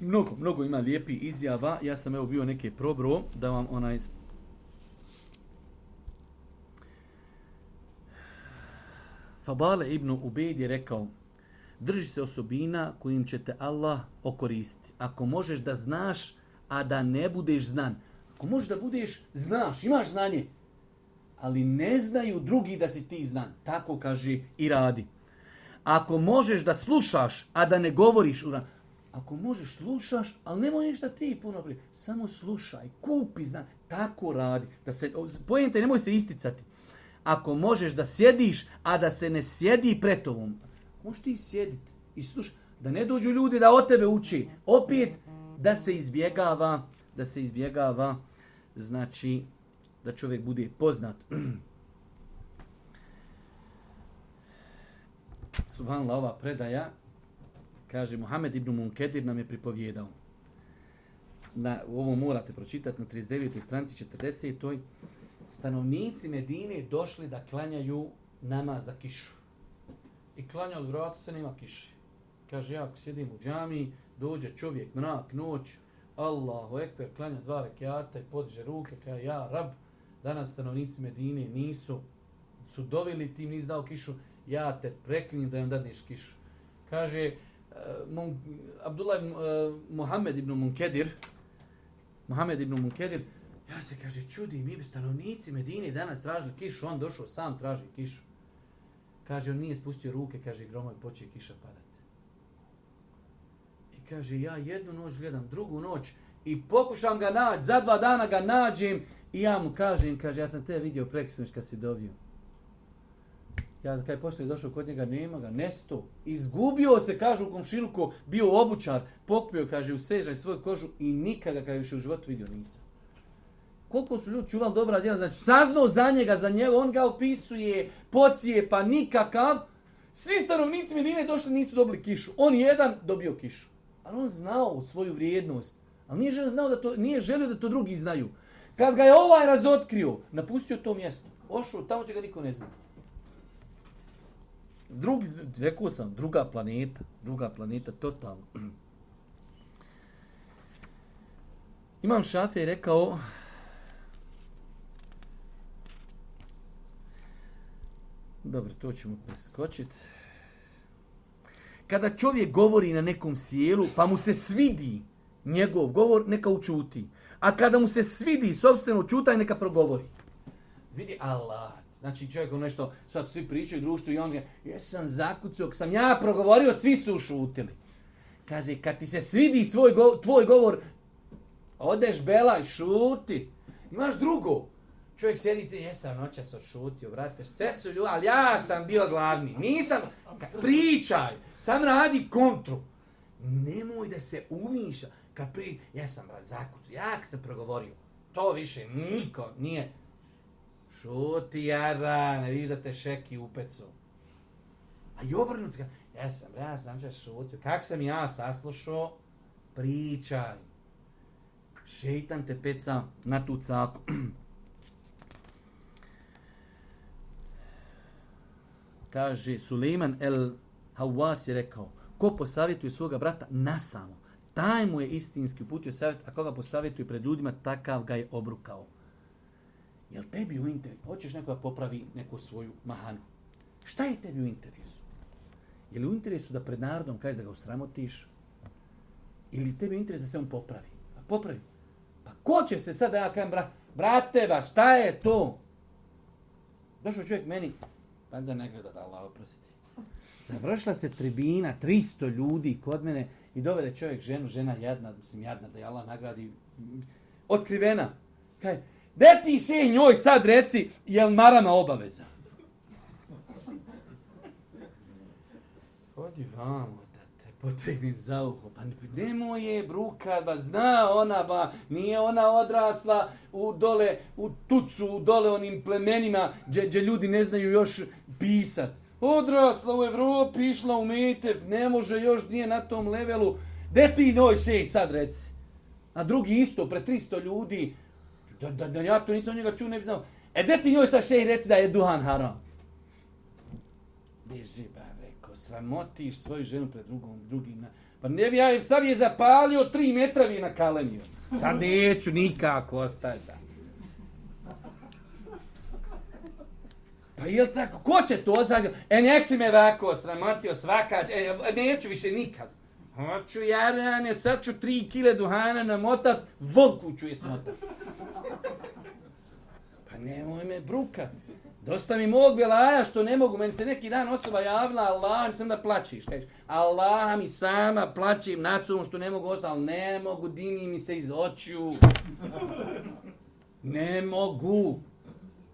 Mnogo, mnogo ima lijepi izjava. Ja sam evo bio neke probro da vam onaj... Fadale ibn Ubejd je rekao, drži se osobina kojim će te Allah okoristiti. Ako možeš da znaš, a da ne budeš znan. Ako možeš da budeš, znaš, imaš znanje, ali ne znaju drugi da si ti znan. Tako kaže i radi. Ako možeš da slušaš, a da ne govoriš, ako možeš slušaš, ali nemoj ništa ti puno prije. Samo slušaj, kupi znanje. Tako radi. Da se, pojente, nemoj se isticati. Ako možeš da sjediš, a da se ne sjedi pred tobom, možeš ti sjediti i slušaj, da ne dođu ljudi da od tebe uči. Opet, da se izbjegava, da se izbjegava, znači, da čovjek bude poznat. Subhanallah, ova predaja, kaže, Muhammed ibn Munkedir nam je pripovjedao. Na, ovo morate pročitati na trideset devetoj stranici četrdesetoj Stanovnici Medine došli da klanjaju namaz za kišu. I klanja od vrata se nema kiše. Kaže, ja sjedim u džamiji, dođe čovjek, mrak, noć, Allahu ekber, klanja dva rekiata i podiže ruke, kaže, ja, Rab, danas stanovnici Medine nisu, su doveli, ti nis dao kišu, ja te preklinjem da im dadneš kišu. Kaže, uh, Mun, Abdullah uh, Muhammed ibn Munkedir, Muhammed ibn Munkedir, ja se, kaže, čudim, mi bi stanovnici Medine danas tražili kišu, on došao sam traži kišu. Kaže, on nije spustio ruke, kaže, gromoj počeje kiša padati. I kaže, ja jednu noć gledam, drugu noć i pokušam ga naći, za dva dana ga nađem i ja mu kažem, kaže, ja sam te vidio preksinoć kad si dovio. Ja kad je poslije došao kod njega, nema ga, nesto. Izgubio se, kaže, u komšiluku, bio obučar, pokupio, kaže, u svežaj svoju kožu i nikada ga više u životu vidio nisam. Koliko su ljudi čuvali dobra djela, znači saznao za njega, za njega, on ga opisuje, pocije, pa nikakav. Svi stanovnici Medine došli, nisu dobili kišu. On jedan dobio kišu. Ali on znao svoju vrijednost. Ali nije želio, znao da to, nije želio da to drugi znaju. Kad ga je ovaj razotkrio, napustio to mjesto. Ošao, tamo će ga niko ne zna. Drugi, rekao sam, druga planeta. Druga planeta, totalno. Imam Šafija je rekao, dobro, to ćemo preskočiti. Kada čovjek govori na nekom sjelu, pa mu se svidi njegov govor, neka učuti. A kada mu se svidi sopstveno čutaj, neka progovori. Vidi Allah. Znači čovjek nešto, sad svi pričaju u društvu i on kaže, jesam zakucao, sam ja progovorio, svi su ušutili. Kaže, kad ti se svidi svoj go, tvoj govor, odeš belaj, šuti. Imaš drugo. Čovjek sjedice, jesam noćas odšutio, brate, sve su ljudi, ali ja sam bio glavni. Nisam, pričaj, sam radi kontru. Nemoj da se umiša. Kad pri, jesam, brate, zakucu, jak sam progovorio. To više niko nije. Šuti, jara, ne viš da te šeki u pecu. A i obrnuti ga, jesam, ja sam će šutio. Kak sam ja saslušao, pričaj. Šeitan te peca na tu caku. Kaže, Sulejman el Hawas je rekao, ko posavjetuje svoga brata nasamo, taj mu je istinski uputio savjet, a koga posavjetuje pred ljudima, takav ga je obrukao. Jel tebi u interesu? Hoćeš neko da popravi neku svoju mahanu. Šta je tebi u interesu? Je li u interesu da pred narodom kažeš da ga osramotiš? Ili tebi u interesu da se on popravi? Pa popravi. Pa ko će se sad da ja kažem, bra, brate, ba, šta je to? Došao čovjek meni, pa da ne gleda da Allah oprosti. Završila se tribina, tristo ljudi kod mene i dovede čovjek ženu, žena jadna, mislim jadna, da je Allah nagradi, otkrivena. Kaj, de ti šeh njoj sad reci, jel marama obaveza? Hodi vamo da te potegnem za uho, pa nemoj je brukat, ba zna ona, ba nije ona odrasla u dole, u tucu, u dole onim plemenima, gdje ljudi ne znaju još pisat. Odrasla u Evropi, išla u Metev, ne može još, nije na tom levelu. De ti njoj šej sad reci? A drugi isto, pre tristo ljudi, da, da, da ja to nisam njega čuo, ne bi znao. E de ti njoj sad šej reci da je duhan haram? Beži, ba, reko, sramotiš svoju ženu pred drugom, drugim. Pa ne bi ja, sad je zapalio tri metravi na kalemiju. Sad neću nikako ostaviti. Pa jel tako, ko će to zagrati? E, nek si me ovako sramotio svakač, e, neću više nikad. Hoću jarane, sad ću tri kile duhana namotat, volku ću je smotat. Pa nemoj me brukat. Dosta mi mog belaja što ne mogu, meni se neki dan osoba javila, Allah, sam da plačiš. Kažeš, Allah mi sama plaćim nacom što ne mogu ostati, ali ne mogu, dini mi se iz očiju. Ne mogu.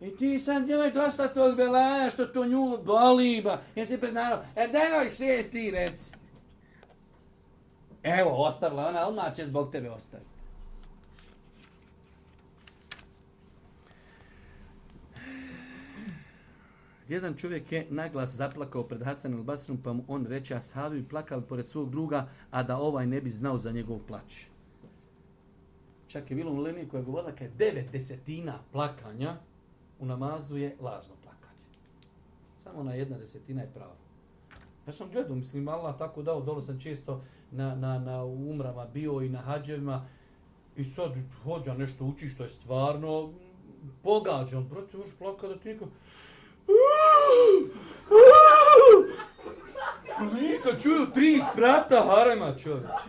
I ti sad njoj dosta tog belaja što to nju boli, ba. Ja se pred narod, e daj sve ti reci. Evo, ostavila ona, odmah će zbog tebe ostaviti. Jedan čovjek je naglas zaplakao pred Hasan al-Basrom, pa mu on reče, ashabi bi plakali pored svog druga, a da ovaj ne bi znao za njegov plać. Čak je bilo u Lemi koja je govorila kad devet desetina plakanja u namazu je lažno plakanje. Samo na jedna desetina je pravo. Ja sam gledao, mislim, Allah tako dao, dole sam često na, na, na umrama bio i na hađevima i sad hođa nešto uči što je stvarno pogađan. Brate, možeš plakati da ti niko... Niko čuju tri sprata harema, čovječ.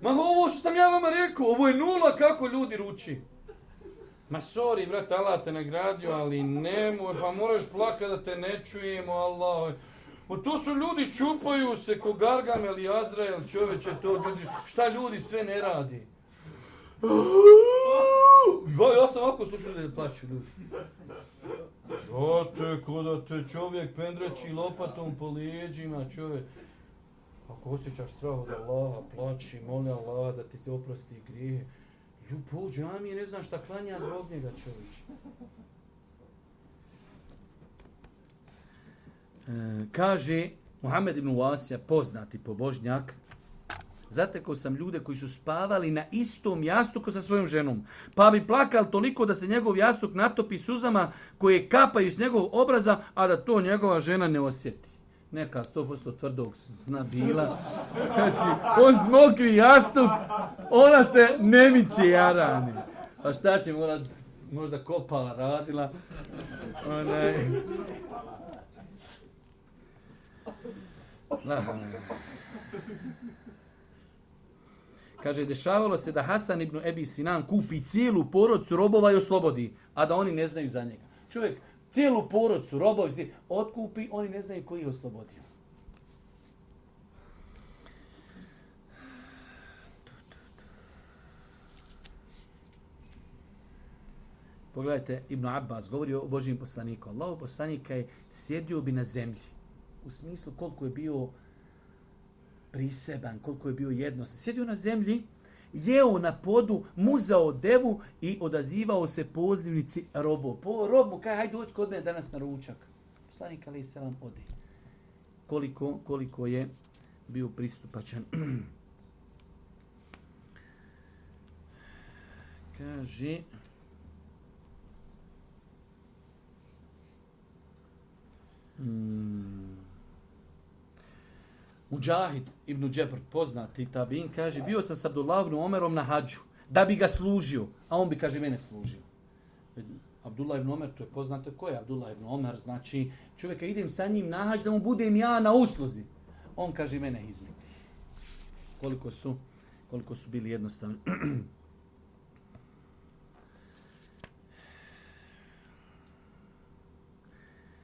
Ma ovo što sam ja vama rekao, ovo je nula kako ljudi ruči. Ma sorry, brate, Allah te nagradio, ali nemoj, pa moraš plakati da te ne čujemo, Allah. O to su ljudi, čupaju se ko Gargamel i Azrael, čovječe, to, šta ljudi sve ne radi. Ja sam ovako slušao da plaću ljudi. Brate, ko da te čovjek pendreći lopatom po lijeđima, čovjek. Ako osjećaš strah od Allaha, plaći, moli Allah da ti se oprosti grijehe. Ju, po džamije, ne znam šta klanja zbog njega, čovječe. E, kaže Muhammed ibn Wasija, poznati pobožnjak, zatekao sam ljude koji su spavali na istom jastuku sa svojom ženom, pa bi plakali toliko da se njegov jastuk natopi suzama koje kapaju s njegovog obraza, a da to njegova žena ne osjeti. Neka sto posto tvrdog sna bila. Znači, on smokri jastuk, ona se ne miče jarani. Pa šta će morat, možda kopala radila. Onaj... Kaže, dešavalo se da Hasan ibn Ebi Sinan kupi cijelu porodcu robova i oslobodi, a da oni ne znaju za njega. Čovjek cijelu porodcu robova si otkupi, oni ne znaju koji je oslobodio. Pogledajte, Ibn Abbas govori o Božijim poslaniku. Allahov poslanika je sjedio bi na zemlji. U smislu koliko je bio priseban, koliko je bio jednostavno. Sjedio na zemlji, jeo na podu, muzao devu i odazivao se pozivnici robo. Po robu, kaj, hajde doći kod mene danas na ručak. Poslanik alejhi selam ode. Koliko, koliko je bio pristupačan. Kaže... Hmm. Mujahid ibn Džebr, poznati tabin, kaže, bio sam s Abdullah ibn Omerom na hađu, da bi ga služio, a on bi, kaže, mene služio. Abdullah ibn Omer, to je poznato ko je Abdullah ibn Omer, znači čovjeka idem sa njim na hađ da mu budem ja na usluzi. On kaže mene izmeti. Koliko su, koliko su bili jednostavni.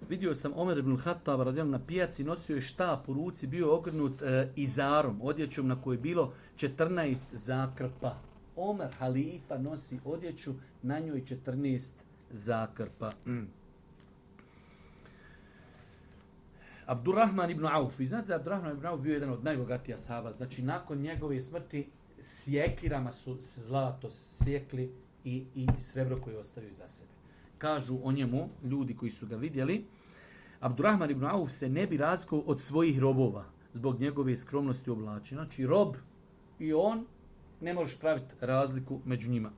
Vidio sam Omer ibn Khattab radijallahu na pijaci, nosio je štap u ruci, bio ogrnut e, izarom, odjećom na kojoj je bilo četrnaest zakrpa. Omer, halifa, nosi odjeću, na njoj četrnaest zakrpa. Mm. Abdurrahman ibn Auf. Vi znate da Abdurrahman ibn Auf bio jedan od najbogatija sahaba. Znači, nakon njegove smrti sjekirama su zlato sjekli i, i srebro koje ostavio za sebe. Kažu o njemu ljudi koji su ga vidjeli, Abdurrahman ibn Auf se ne bi razlikao od svojih robova zbog njegove skromnosti u oblačenju. Znači, rob i on, ne možeš praviti razliku među njima.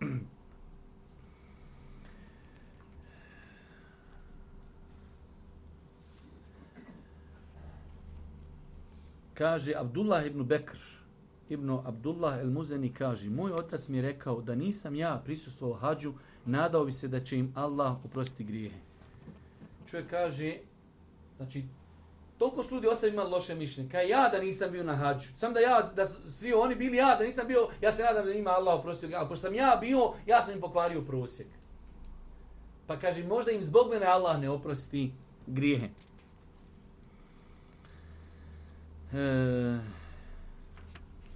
Kaže Abdullah ibn Bekr, ibn Abdullah el-Muzeni kaže, moj otac mi je rekao da nisam ja prisustvovao hađu, nadao bi se da će im Allah oprostiti grijehe. Čovjek kaže, znači, toliko su ljudi ostavi imali loše mišljenje. Kaj ja da nisam bio na hađu. Sam da ja, da svi oni bili ja, da nisam bio, ja se nadam da ima Allah oprostio grijehe. Ali pošto sam ja bio, ja sam im pokvario prosjek. Pa kaže, možda im zbog mene Allah ne oprosti grijehe. E,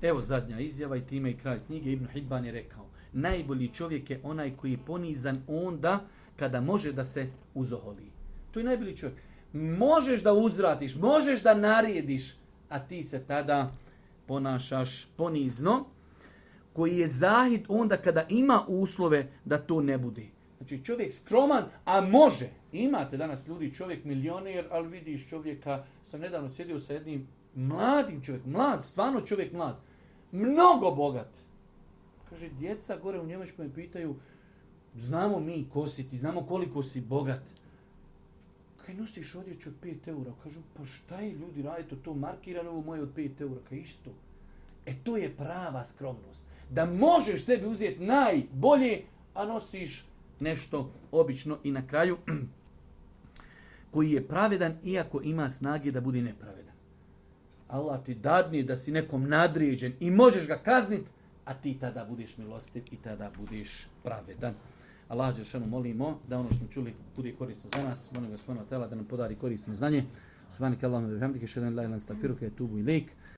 evo zadnja izjava i time i kraj knjige. Ibn Hibban je rekao, najbolji čovjek je onaj koji je ponizan onda kada može da se uzoholi. To je najbolji čovjek. Možeš da uzvratiš, možeš da narijediš, a ti se tada ponašaš ponizno, koji je zahid onda kada ima uslove da to ne bude. Znači čovjek skroman, a može. Imate danas ljudi, čovjek milioner, ali vidiš čovjeka, sam nedavno sjedio sa jednim mladim čovjekom, mlad, stvarno čovjek mlad, mnogo bogat. Kaže, djeca gore u Njemačkoj me pitaju, znamo mi ko si ti, znamo koliko si bogat. Kaj nosiš odjeću od pet eura? Kažu, pa šta je ljudi radite to markirano ovo moje od pet eura? Kaj isto? E to je prava skromnost. Da možeš sebi uzeti najbolje, a nosiš nešto obično i na kraju koji je pravedan iako ima snage da bude nepravedan. Allah ti dadne da si nekom nadređen i možeš ga kazniti, a ti tada budeš milostiv i tada budeš pravedan. Allah dželešanu molimo da ono što smo čuli bude korisno za nas. Molim ga subhanahu wa ta'ala da nam podari korisno znanje. Subhanaka Allahumma wa bihamdika, ashhadu an la ilaha illa anta, astaghfiruka wa atubu ilaik.